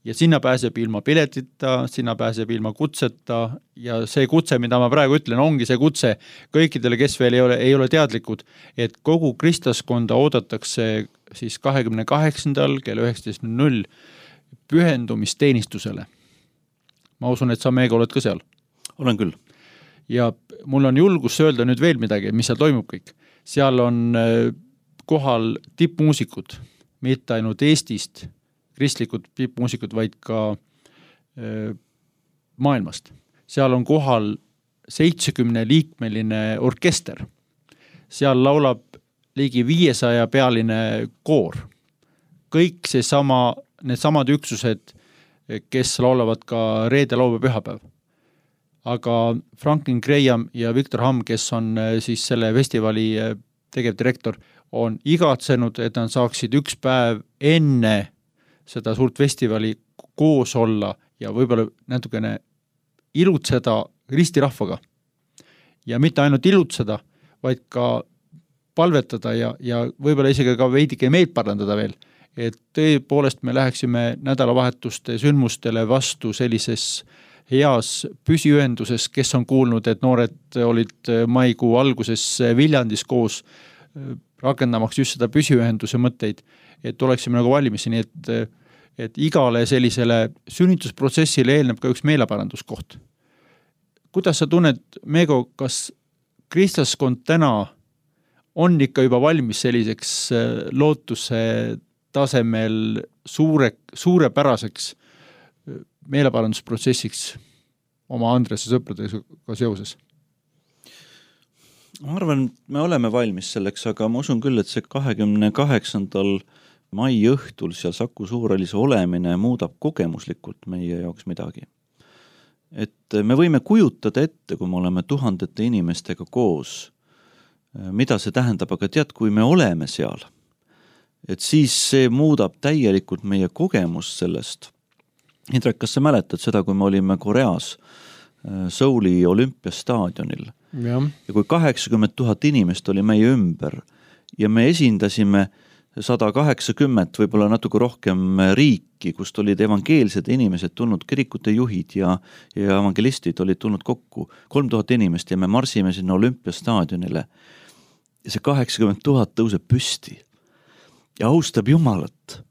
Ja sinna pääseb ilma piletita, sinna pääseb ilma kutseta ja see kutse, mida ma praegu ütlen, ongi see kutse kõikidele, kes veel ei ole teadlikud, et kogu kristlaskonda oodatakse siis 28. kell 19.00 pühendumisteenistusele. Ma usun, et sa meiega oled ka seal. Olen küll. Ja mul on julgus öelda nüüd veel midagi, mis seal toimub kõik. Seal on kohal tippmuusikud, mitte ainult Eestist, kristlikud tippmuusikud, vaid ka maailmast. Seal on kohal 70-liikmeline orkester. Seal laulab ligi 500 pealine koor. Kõik needsamad üksused, kes laulavad ka reede, laupäev, pühapäev. Aga Franklin Graham ja Victor Hamm, kes on siis selle festivali tegevdirektor, on igatsenud, et nad saaksid üks päev enne seda suurt festivali koos olla ja võib-olla natukene ilutseda ristirahvaga. Ja mitte ainult ilutseda, vaid ka palvetada ja võib-olla isegi ka veidike meelt parandada veel, et tõepoolest me läheksime nädalavahetuste sündmustele vastu sellises heas püsiühenduses, kes on kuulnud, et noored olid maikuu alguses Viljandis koos rakendamaks just seda püsiühenduse mõtteid, et oleksime nagu valmis, nii et igale sellisele sünnitusprotsessile eelneb ka üks meeleparanduskoht. Kuidas sa tunned, Meego, kas kristlaskond täna on ikka juba valmis selliseks lootuse tasemel suurepäraseks meeleparandusprotsessiks oma Andrese sõpradega seoses? Ma arvan, me oleme valmis selleks, aga ma usun küll, et see 28. mai õhtul seal Saku Suurhallis olemine muudab kogemuslikult meie jaoks midagi. Et me võime kujutada ette, kui me oleme tuhandete inimestega koos, mida see tähendab, aga tead, kui me oleme seal, et siis see muudab täielikult meie kogemust sellest. Indrek, kas sa mäletad seda, kui me olime Koreas Souli olümpiastaadionil ja kui 80 000 inimest oli meie ümber ja me esindasime 180, võib-olla natuke rohkem riiki, kust olid evangeelsed inimesed tulnud, kirikute juhid ja evangelistid olid tulnud kokku, 3000 inimest ja me marsime sinna olümpiastaadionile ja see 80 000 tõuseb püsti ja austab Jumalat.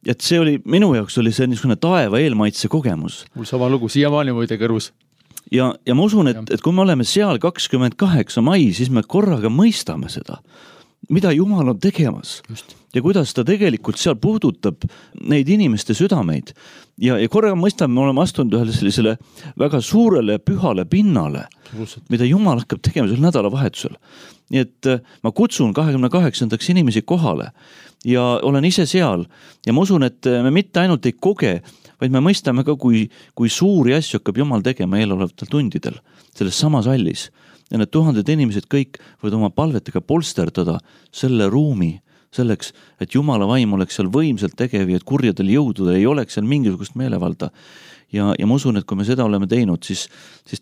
Et see oli, minu jaoks oli see niisugune taeva eelmaitse kogemus. Mul sama lugu, siiamaani muide kõrvus. Ja ma usun, et kui me oleme seal 28. mai, siis me korraga mõistame seda, mida Jumal on tegemas. Just. Ja kuidas ta tegelikult seal puudutab neid inimeste südameid. Ja korraga mõistame, me oleme astunud ühele sellisele väga suurele pühale pinnale, mida Jumal hakkab tegema sel nädalavahetusel. Nii et ma kutsun 28. inimesi kohale ja olen ise seal ja ma usun, et me mitte ainult ei koge, vaid me mõistame ka, kui suuri asju hakkab Jumal tegema eelolevatel tundidel selles samas hallis. Ja need tuhanded inimesed kõik võivad oma palvetega polsterdada selle ruumi selleks, et Jumala vaim oleks seal võimselt tegev ja et kurjadel jõududel ei oleks seal mingisugust meelevalda. Ja ma usun, et kui me seda oleme teinud, siis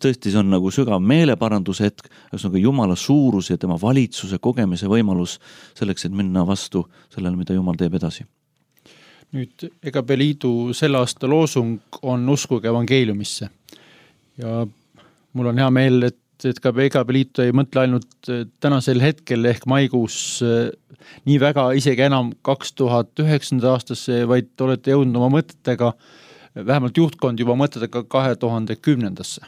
tõesti see on nagu sügav meeleparanduse hetk, aga Jumala suurus ja tema valitsuse kogemise võimalus selleks, et minna vastu sellele, mida Jumal teeb edasi. Nüüd EKP Liidu selle aasta loosung on uskuge evangeeliumisse. Ja mul on hea meel, et ka EKP Liit ei mõtle ainult tänasel hetkel ehk maikuus nii väga isegi enam 2009. aastasse, vaid olete jõudnud oma mõtetega, vähemalt juhtkond juba mõtetega 2010.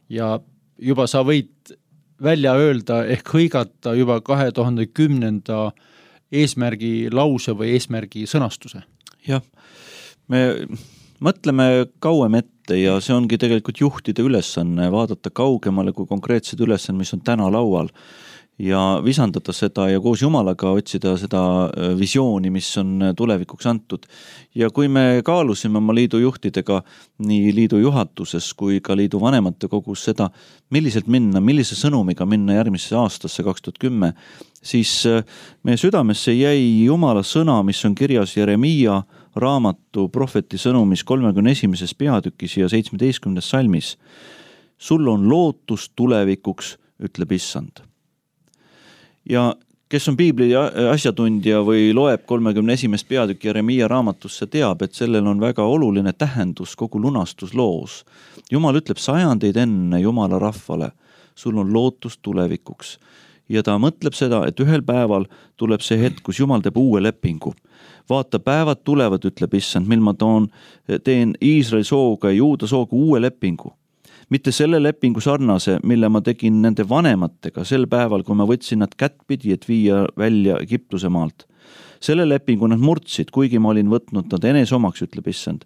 Ja juba sa võid välja öelda ehk hõigata juba 2010. eesmärgi lause või eesmärgi sõnastuse. Jah, me mõtleme kauem ette ja see ongi tegelikult juhtide ülesanne, vaadata kaugemale kui konkreetsed ülesanne, mis on täna laual ja visandada seda ja koos Jumalaga otsida seda visiooni, mis on tulevikuks antud. Ja kui me kaalusime oma liidu juhtidega nii liidu juhatuses kui ka liidu vanemate kogus seda, milliselt minna, millise sõnumiga minna järgmisse aastasse 2010, siis meie südamesse jäi Jumala sõna, mis on kirjas Jeremiia raamatu prohveti sõnumis 31. peatükis ja 17. salmis. Sul on lootus tulevikuks, ütleb Issand. Ja kes on piibli asjatundja või loeb 31. peatükki Jeremiia raamatusse, teab, et sellel on väga oluline tähendus kogu lunastusloos. Jumal ütleb sajandeid enne Jumala rahvale, sul on lootus tulevikuks. Ja ta mõtleb seda, et ühel päeval tuleb see hetk, kus Jumal teeb uue lepingu. Vaata, päevad tulevad, ütleb Issand, mil ma teen Iisraeli sooga ja Juuda sooga uue lepingu. Mitte selle lepingu sarnase, mille ma tegin nende vanematega sel päeval, kui ma võtsin nad kättpidi, et viia välja Egiptuse maalt. Selle lepingu nad murdsid, kuigi ma olin võtnud nad enes omaks, ütleb Issand.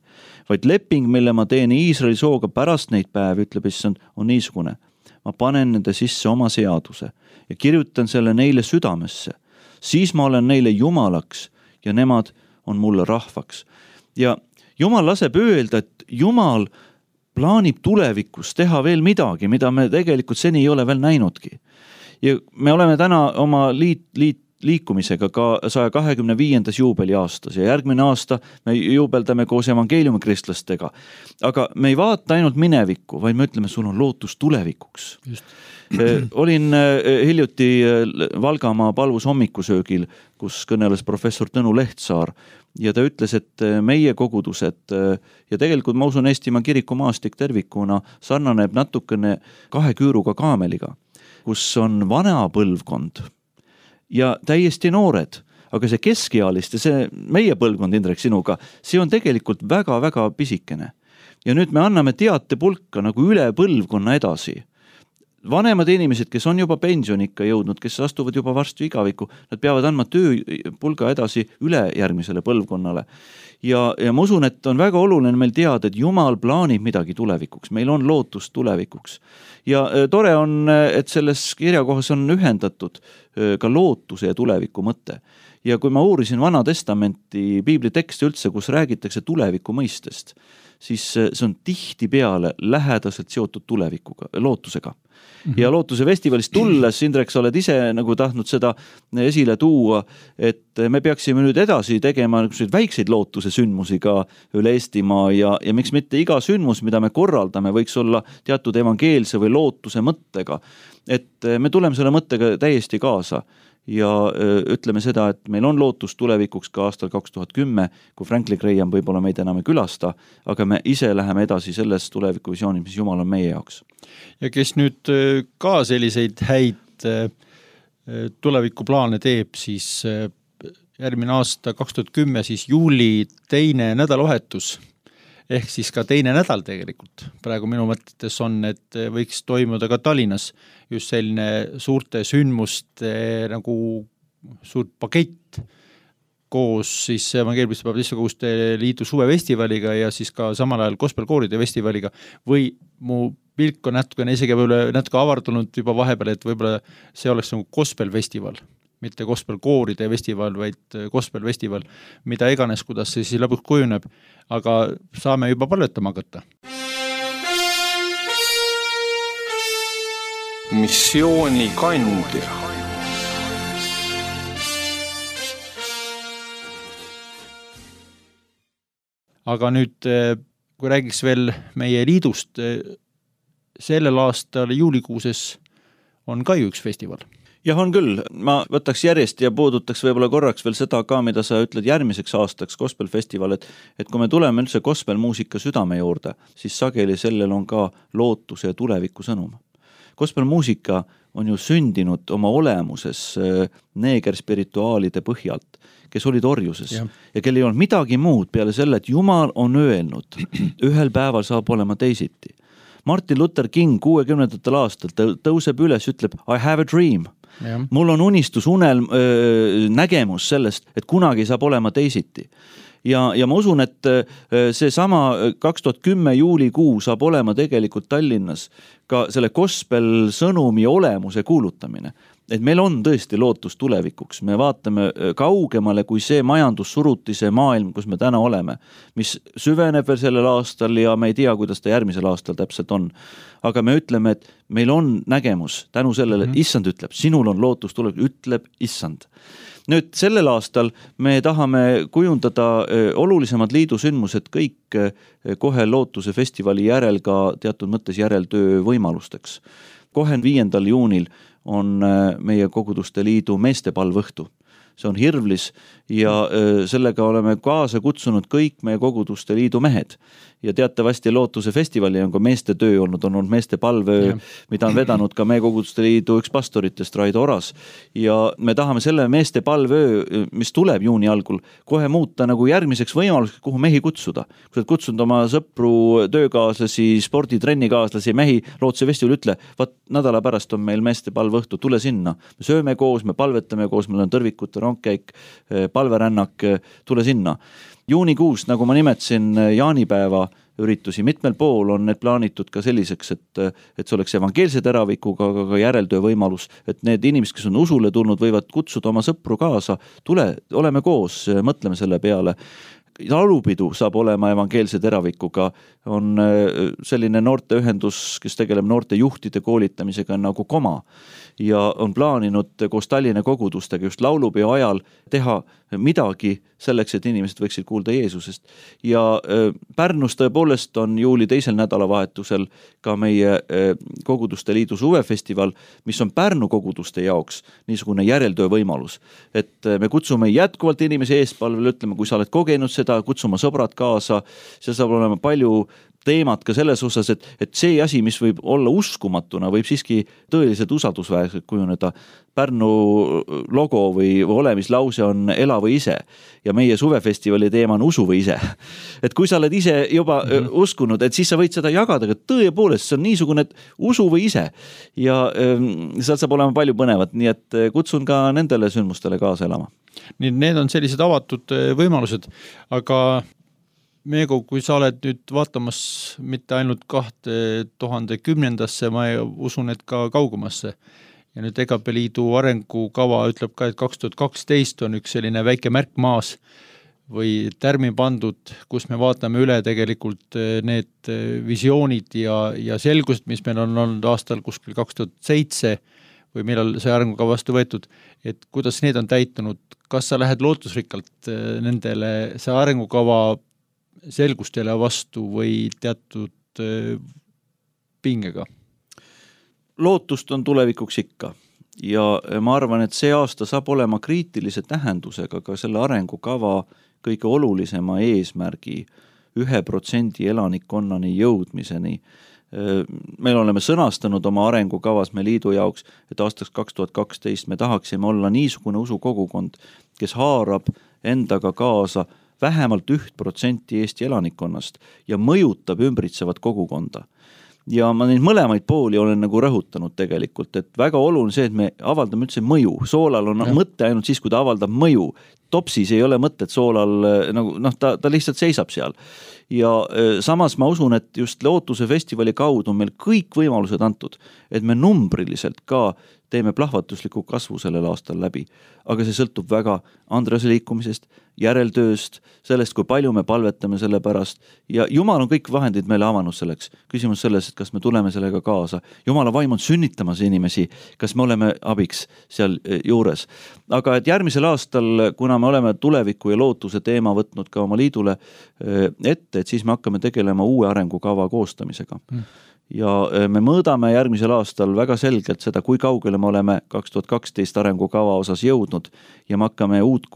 Vaid leping, mille ma teen Iisraeli sooga pärast neid päevi, ütleb Issand, on niisugune. Ma panen nende sisse oma seaduse ja kirjutan selle neile südamesse. Siis ma olen neile Jumalaks ja nemad on mulle rahvaks. Ja Jumal laseb öelda, et Jumal plaanib tulevikus teha veel midagi, mida me tegelikult seni ei ole veel näinudki. Ja me oleme täna oma liikumisega ka 125. juubeli aastas ja järgmine aasta me juubeldame koos evangeeliumi kristlastega. Aga me ei vaata ainult minevikku, vaid me ütleme, sul on lootus tulevikuks. Just. Olin hiljuti Valgamaa palvus hommikusöögil, kus kõneles professor Tõnu Lehtsaar ja ta ütles, et meie kogudused ja tegelikult ma usun Eestimaa kirikumaastik tervikuna sarnaneb natukene 2 küüruga kaameliga, kus on vana põlvkond ja täiesti noored, aga see keskealiste, see meie põlvkond, Indrek, sinuga, see on tegelikult väga-väga pisikene. Ja nüüd me anname teatepulka nagu üle põlvkonna edasi. Vanemad inimesed, kes on juba pensionikka jõudnud, kes astuvad juba varsti igavikku, nad peavad andma tööpulga edasi üle järgmisele põlvkonnale. Ja ma usun, et on väga oluline meil teada, et Jumal plaanib midagi tulevikuks. Meil on lootus tulevikuks. Ja tore on, et selles kirjakohas on ühendatud ka lootuse ja tuleviku mõte. Ja kui ma uurisin Vana Testamenti piiblitekste üldse, kus räägitakse tuleviku mõistest, siis see on tihti peale lähedaselt seotud tulevikuga, lootusega. Ja lootuse festivalist tulles, Indrek, sa oled ise nagu tahtnud seda esile tuua, et me peaksime nüüd edasi tegema väikseid lootuse sündmusi ka üle Eestimaa ja miks mitte iga sündmus, mida me korraldame, võiks olla teatud evangeelse või lootuse mõttega. Et me tuleme selle mõttega täiesti kaasa ja ütleme seda, et meil on lootus tulevikuks ka aastal 2010, kui Franklin Graham võib-olla meid enam ei külasta, aga me ise läheme edasi selles tulevikuvisioonid, mis Jumal on meie jaoks. Ja kes nüüd ka selliseid häid tulevikuplaane teeb, siis järgmine aasta 2010, siis juuli 2. nädalavahetus, ehk siis ka 2. nädal tegelikult. Praegu minu mõtetes on, et võiks toimuda ka Tallinnas just selline suurte sündmuste nagu suurt pakett koos siis Evangeelmiste Baptiste Koguste Liidu suvefestivaliga ja siis ka samal ajal gospelkooride festivaliga või mu pilk on isegi natuke avardunud juba vahepeal, et võib-olla see oleks nagu gospelfestival, mitte gospelkooride festival, vaid gospelfestival, mida iganes, kuidas see siis lõpuks kujuneb, aga saame juba palvetama hakata. Missiooni kandja. Aga nüüd, kui räägiks veel meie liidust, sellel aastal juulikuuses on ka ju üks festival. Jah, on küll. Ma võtaks järjest ja puudutaks võib-olla korraks veel seda ka, mida sa ütled järgmiseks aastaks gospelfestival, et kui me tuleme üldse gospelmuusika südame juurde, siis sageli sellel on ka lootuse ja tuleviku sõnum. Gospelmuusika on ju sündinud oma olemuses neegerspirituaalide põhjalt, kes olid orjuses ja kel ei olnud midagi muud peale selle, et Jumal on öelnud, ühel päeval saab olema teisiti. Martin Luther King 60. aastal tõuseb üles, ütleb I have a dream. Mul on unistus, nägemus sellest, et kunagi saab olema teisiti. Ja ma usun, et see sama 2010 juulikuu saab olema tegelikult Tallinnas ka selle gospel sõnumi olemuse kuulutamine. Et meil on tõesti lootus tulevikuks. Me vaatame kaugemale kui see majandussurutise maailm, kus me täna oleme, mis süveneb veel sellel aastal ja me ei tea, kuidas ta järgmisel aastal täpselt on. Aga me ütleme, et meil on nägemus tänu sellele, issand ütleb, sinul on lootus tulevik, ütleb issand. Nüüd sellel aastal me tahame kujundada olulisemad liidusündmused kõik kohe lootuse festivali järel ka teatud mõttes järeltöö võimalusteks. Kohe 5. juunil on meie koguduste liidu meestepalvõhtu. See on Hirvlis ja sellega oleme kaasa kutsunud kõik meie koguduste liidu mehed. Ja teatavasti lootuse festivali on ka meeste töö olnud, on olnud meeste palvöö, mida on vedanud ka meie koguduste liidu üks pastoritest, Raido Oras. Ja me tahame selle meeste palvöö, mis tuleb juuni algul, kohe muuta nagu järgmiseks võimaluseks, kuhu mehi kutsuda. Kui sa oled kutsunud oma sõpru, töökaaslasi, sporditrennikaaslasi, mehi, lootuse festivali ütle, vaat nädala pärast on meil meeste palvõhtu, tule sinna. Me sööme koos, me palvetame koos, meil on tõrvikute rongkäik, palverännak, tule sinna. Juunikuus, nagu ma nimetasin, jaanipäeva üritusi mitmel pool on need plaanitud ka selliseks, et see oleks evangeelse teravikuga, aga ka järeltöö võimalus, et need inimesed, kes on usule tulnud, võivad kutsuda oma sõpru kaasa, tule, oleme koos, mõtleme selle peale. Laulupidu saab olema evangeelse teravikuga, on selline noorteühendus, kes tegeleb noorte juhtide koolitamisega nagu Koma ja on plaaninud koos Tallinna kogudustega just laulupeo ajal teha midagi selleks, et inimesed võiksid kuulda Jeesusest. Ja Pärnus tõepoolest on juuli 2. nädalavahetusel ka meie koguduste liidu suvefestival, mis on Pärnu koguduste jaoks niisugune järeltöö võimalus. Et me kutsume jätkuvalt inimesi eespalvele, ütleme, kui sa oled kogenud seda, kutsuma sõbrad kaasa, see saab olema palju teemad ka selles osas, et see asi, mis võib olla uskumatuna, võib siiski tõeliselt usaldusväärselt kujuneda. Pärnu logo või olemislause on ela või ise ja meie suvefestivali teema on usu või ise. Et kui sa oled ise juba uskunud, et siis sa võid seda jagada, aga tõepoolest see on niisugune, et usu või ise ja seal saab olema palju põnevat, nii et kutsun ka nendele sündmustele kaasa elama. Nii need on sellised avatud võimalused, aga Meego, kui sa oled nüüd vaatamas mitte ainult 2010-ndasse, ma usun, et ka kaugemasse. Ja nüüd EGP liidu arengukava ütleb ka, et 2012 on üks selline väike märk maas või tärmi pandud, kus me vaatame üle tegelikult need visioonid ja selgused, mis meil on olnud aastal kuskil 2007 või millal see arengukava vastu võetud, et kuidas need on täitunud, kas sa lähed lootusrikkalt nendele, see arengukava selgustele vastu või teatud pingega? Lootust on tulevikuks ikka ja ma arvan, et see aasta saab olema kriitilise tähendusega ka selle arengukava kõige olulisema eesmärgi 1% elanikkonnani jõudmiseni. Meil oleme sõnastanud oma arengukavas me liidu jaoks, et aastaks 2012 me tahaksime olla niisugune usukogukond, kes haarab endaga kaasa vähemalt 1% Eesti elanikkonnast ja mõjutab ümbritsevat kogukonda. Ja ma neid mõlemaid pooli olen nagu rõhutanud tegelikult, et väga oluline see, et me avaldame üldse mõju. Soolal on mõte ainult siis, kui ta avaldab mõju. Topsis ei ole mõtet soolal, nagu, ta lihtsalt seisab seal. Ja samas ma usun, et just lootuse festivali kaudu on meil kõik võimalused antud, et me numbriliselt ka teeme plahvatusliku kasvu sellel aastal läbi. Aga see sõltub väga Andrese liikumisest, järeltööst, sellest, kui palju me palvetame selle pärast. Ja Jumal on kõik vahendid meile avanud selleks. Küsimus selles, et kas me tuleme sellega kaasa. Jumala vaim on sünnitamas inimesi, kas me oleme abiks seal juures. Aga et järgmisel aastal, kuna me oleme tuleviku ja lootuse teema võtnud ka oma liidule ette, et siis me hakkame tegelema uue arengukava koostamisega. Ja me mõõdame järgmisel aastal väga selgelt seda, kui kaugele me oleme 2012 arengukava osas jõudnud ja me hakkame uut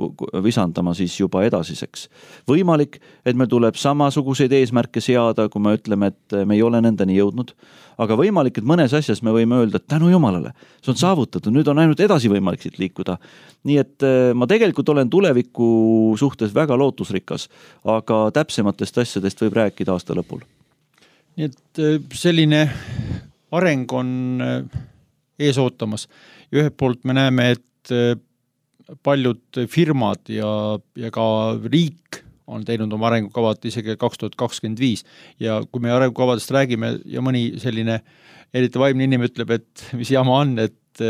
visandama siis juba edasiseks. Võimalik, et meil tuleb samasuguseid eesmärke seada, kui me ütleme, et me ei ole nendeni jõudnud, aga võimalik, et mõnes asjas me võime öelda, et tänu Jumalale, see on saavutatud, nüüd on ainult edasi võimalik siit liikuda. Nii et ma tegelikult olen tuleviku suhtes väga lootusrikas, aga täpsematest asjadest võib rääkida aasta lõpul. Nii et selline areng on ees ootamas. Ja ühelt poolt me näeme, et paljud firmad ja ka riik on teinud oma arengukavad isegi 2025 ja kui me arengukavadest räägime ja mõni selline eriti vaimne inimene ütleb, et mis jama on, et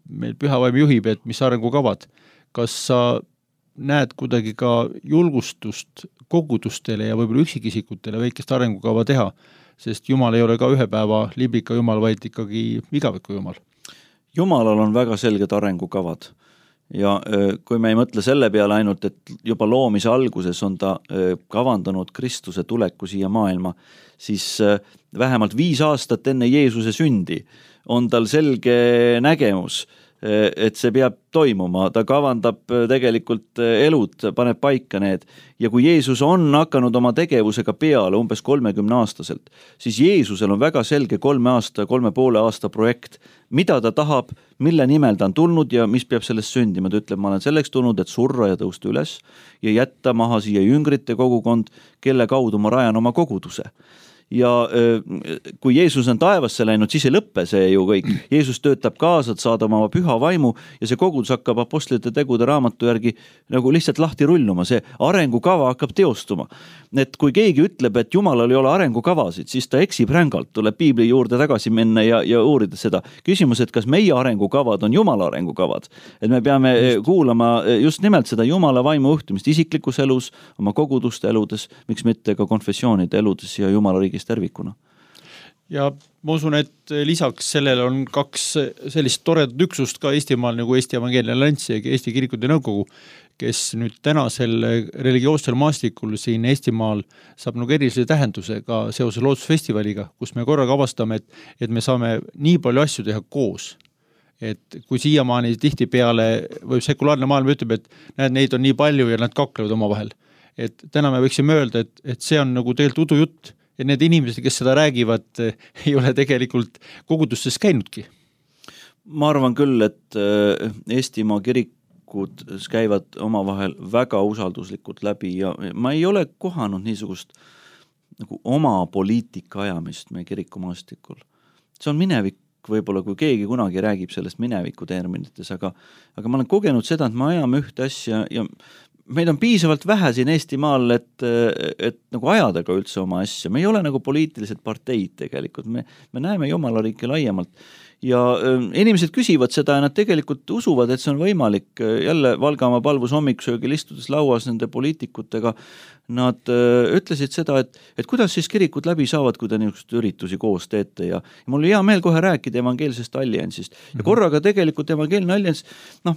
meil püha vaim juhib, et mis arengukavad. Kas sa näed kuidagi ka julgustust kogudustele ja võib-olla üksikisikutele väikest arengukava teha, sest Jumal ei ole ka ühe päeva liblika Jumal, vaid ikkagi igaviku Jumal? Jumalal on väga selged arengukavad. Ja kui me ei mõtle selle peale ainult, et juba loomise alguses on ta kavandanud Kristuse tuleku siia maailma, siis vähemalt 5 aastat enne Jeesuse sündi on tal selge nägemus, et see peab toimuma, ta kavandab tegelikult elud, paneb paika need. Ja kui Jeesus on hakanud oma tegevusega peale umbes 30-aastaselt, siis Jeesusel on väga selge 3,5 aasta projekt, mida ta tahab, mille nimel ta on tulnud ja mis peab sellest sündima. Ta ütleb, ma olen selleks tulnud, et surra ja tõusta üles ja jätta maha siia jüngrite kogukond, kelle kaudu ma rajan oma koguduse. Ja kui Jeesus on taevasse läinud, siis ei lõppe see ju kõik. Jeesus töötab kaasa, et saada oma püha vaimu ja see kogudus hakkab apostlite tegude raamatu järgi nagu lihtsalt lahti rulluma. See arengukava hakkab teostuma. Et kui keegi ütleb, et Jumalal ei ole arengukavasid, siis ta eksib rängalt, tuleb Piibli juurde tagasi minna ja uurida seda. Küsimus, et kas meie arengukavad on Jumala arengukavad? Et me peame kuulama just nimelt seda Jumala vaimu juhtimist isiklikus elus, oma koguduste eludes, miks mitte ka konfessioonide eludes ja Jumala riigis tervikuna. Ja ma usun, et lisaks sellele on 2 sellist toredat üksust ka Eestimaal nagu Eesti Evangeelne Allianss ja Eesti Kirikute Nõukogu, kes nüüd tänasel religioossel maastikul siin Eestimaal saab nagu erilise tähenduse ka seoses loodusfestivaliga, kus me korraga avastame, et me saame nii palju asju teha koos. Et kui siiamaani tihti peale või sekulaarne maailm ütleb, et näed, neid on nii palju ja nad kaklevad oma vahel. Et täna me võiksime öelda, et see on nagu tegelikult udujutt, et need inimesed, kes seda räägivad, ei ole tegelikult kogudustes käinudki. Ma arvan küll, et Eestimaa kirikud käivad omavahel väga usalduslikult läbi ja ma ei ole kohanud niisugust nagu oma poliitika ajamist meie kirikumaastikul. See on minevik võib-olla, kui keegi kunagi räägib sellest mineviku terminites, aga ma olen kogenud seda, et me ajame ühte asja ja meid on piisavalt vähe siin Eestimaal, et nagu ajada ka üldse oma asja. Me ei ole nagu poliitilised parteid tegelikult. Me näeme Jumala riiki laiemalt. Ja inimesed küsivad seda ja nad tegelikult usuvad, et see on võimalik. Jälle Valgamaa palvus hommikusöögil istudes lauas nende poliitikutega. Nad ütlesid seda, et kuidas siis kirikud läbi saavad, kui te niisugust üritusi koos teete. Ja mul oli hea meel kohe rääkida evangeelsest alliansist. Ja korraga tegelikult evangeelne allians,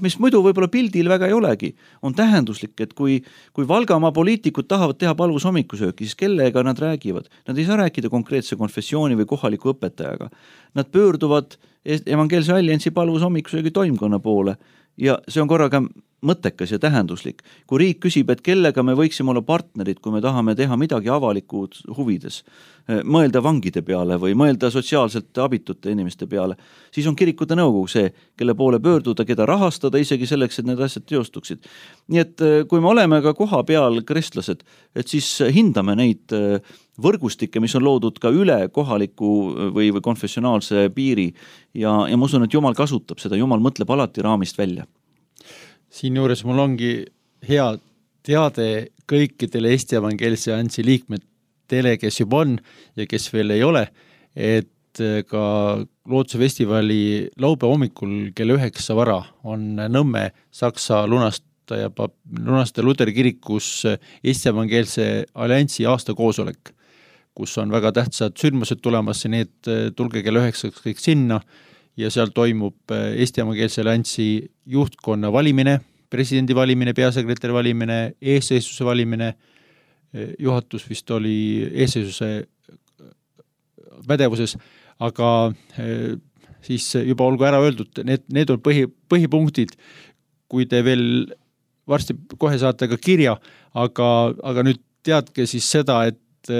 mis muidu võib-olla pildil väga ei olegi, on tähenduslik, et kui Valgamaa poliitikud tahavad teha palvus hommikusööki, siis kellega nad räägivad? Nad ei saa rääkida konkreetse konfessiooni või kohaliku õpetajaga. Nad pöörduvad evangeelse alliansi palvus hommikusöögi toimkonna poole ja see on korraga mõttekas ja tähenduslik. Kui riik küsib, et kellega me võiksime olla partnerid, kui me tahame teha midagi avalikud huvides, mõelda vangide peale või mõelda sotsiaalselt abitute inimeste peale, siis on kirikute nõukogu see, kelle poole pöörduda, keda rahastada isegi selleks, et need asjad teostuksid. Nii et kui me oleme ka koha peal kristlased, et siis hindame neid võrgustikke, mis on loodud ka üle kohaliku või konfessionaalse piiri ja ma usun, et Jumal kasutab seda, Jumal mõtleb alati raamist välja. Siin juures mul ongi hea teade kõikidele Eesti Evangeelse Alliansi liikmetele, kes juba on ja kes veel ei ole, et ka Looduse festivali laupäeva hommikul kell 9 vara on Nõmme Saksa lunaste Luteri kirikus Eesti Evangeelse Alliansi aastakoosolek, kus on väga tähtsad sündmused tulemas, nii et tulge kell 9 kõik sinna ja seal toimub Eesti Evangeelse Alliansi juhtkonna valimine, presidendi valimine, peasekretäri valimine, eesseisuse valimine, juhatus vist oli eesseisuse pädevuses, aga siis juba olgu ära öeldud, need on põhipunktid, kui te veel varsti kohe saate ka kirja, aga nüüd teadke siis seda, et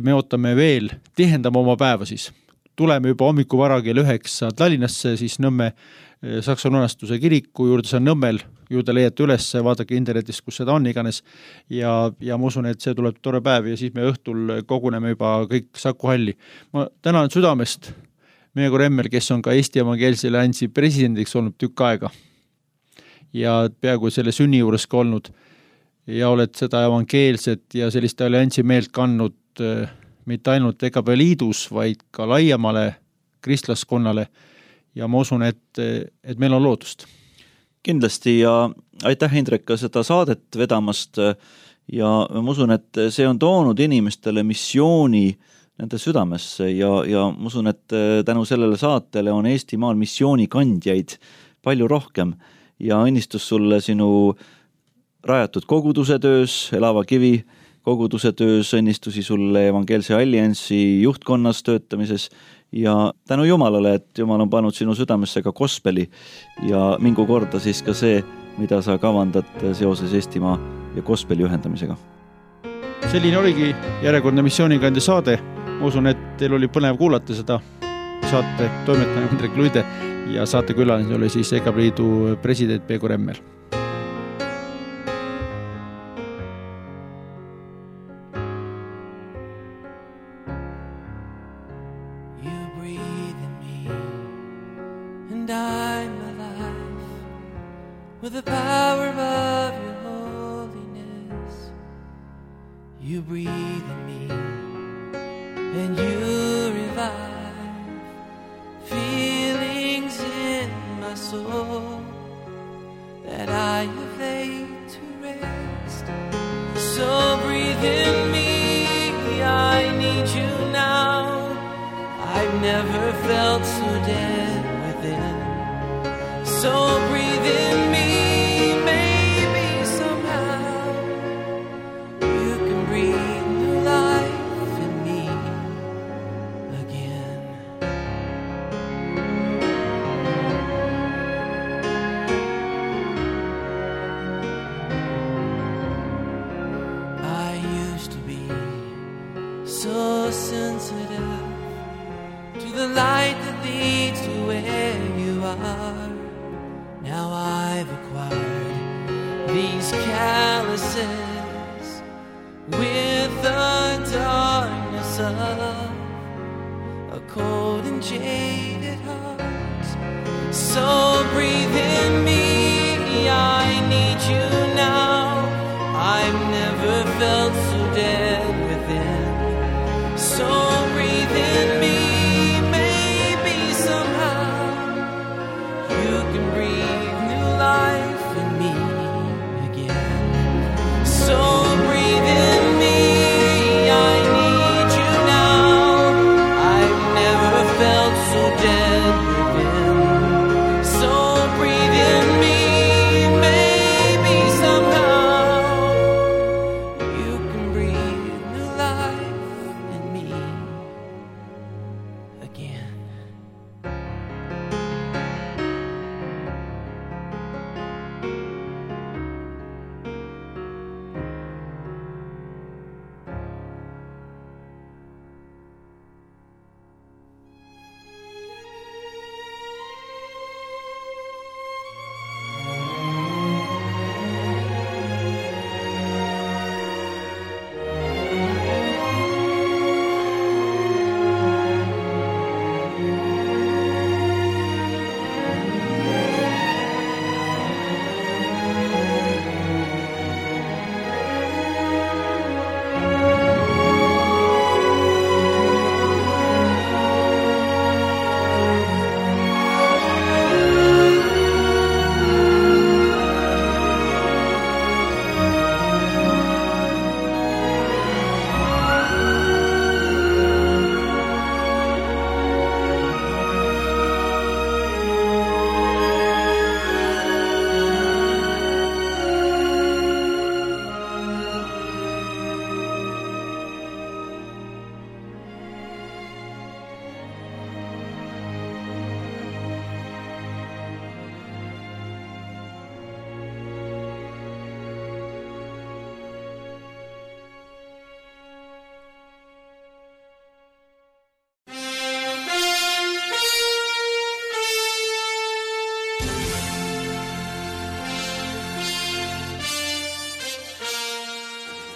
me ootame veel, tihendame oma päeva siis. Tuleme juba hommiku vara kell 9 Tallinnasse, siis Nõmme Saksa lunastuse kiriku juurde, see on Nõmmel, juurde leiate üles, vaadake internetist, kus seda on iganes. Ja ma usun, et see tuleb tore päev ja siis me õhtul koguneme juba kõik Saku halli. Ma tänan südamest Peeter Emmel, kes on ka Eesti Evangeelse Alliansi presidendiks olnud tükk aega ja peaaegu selle sünni juures ka olnud ja oled seda evangeelset ja sellist alliansi meelt kandnud mitte ainult EKP liidus, vaid ka laiemale kristlaskonnale ja ma usun, et meil on lootust. Kindlasti ja aitäh, Indrek, ka seda saadet vedamast ja ma usun, et see on toonud inimestele missiooni nende südamesse ja ma usun, et tänu sellele saatele on Eestimaal missioonikandjaid palju rohkem ja õnnistus sulle sinu rajatud koguduse töös, Elava Kivi koguduse töös, õnnistusi sulle Evangeelse Alliansi juhtkonnas töötamises ja tänu Jumalale, et Jumal on pannud sinu südamesse ka gospeli ja mingu korda siis ka see, mida sa kavandad seoses Eestimaa ja gospeli ühendamisega. Selline oligi järjekordne missioonikandja saade. Ma usun, et teil oli põnev kuulata seda saate toimetaja Indrek Luide ja saatekülaline oli siis EKP liidu president Peeter Emmel. With the power of your holiness, you breathe in me and you revive feelings in my soul that I have laid to rest. So breathe in me, I need you now. I've never felt so dead within. So breathe in me. So sensitive to the light that leads to where you are. Now I've acquired these calluses with the darkness of a cold and jaded heart. So breathe in me, I need you now. I've never felt so dead within. So breathe in me, maybe somehow you can breathe new life in me again. So breathe in me, I need you now. I've never felt so dead within. So breathe in me, maybe somehow you can breathe new life in me again.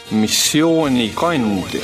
Missioonikandja.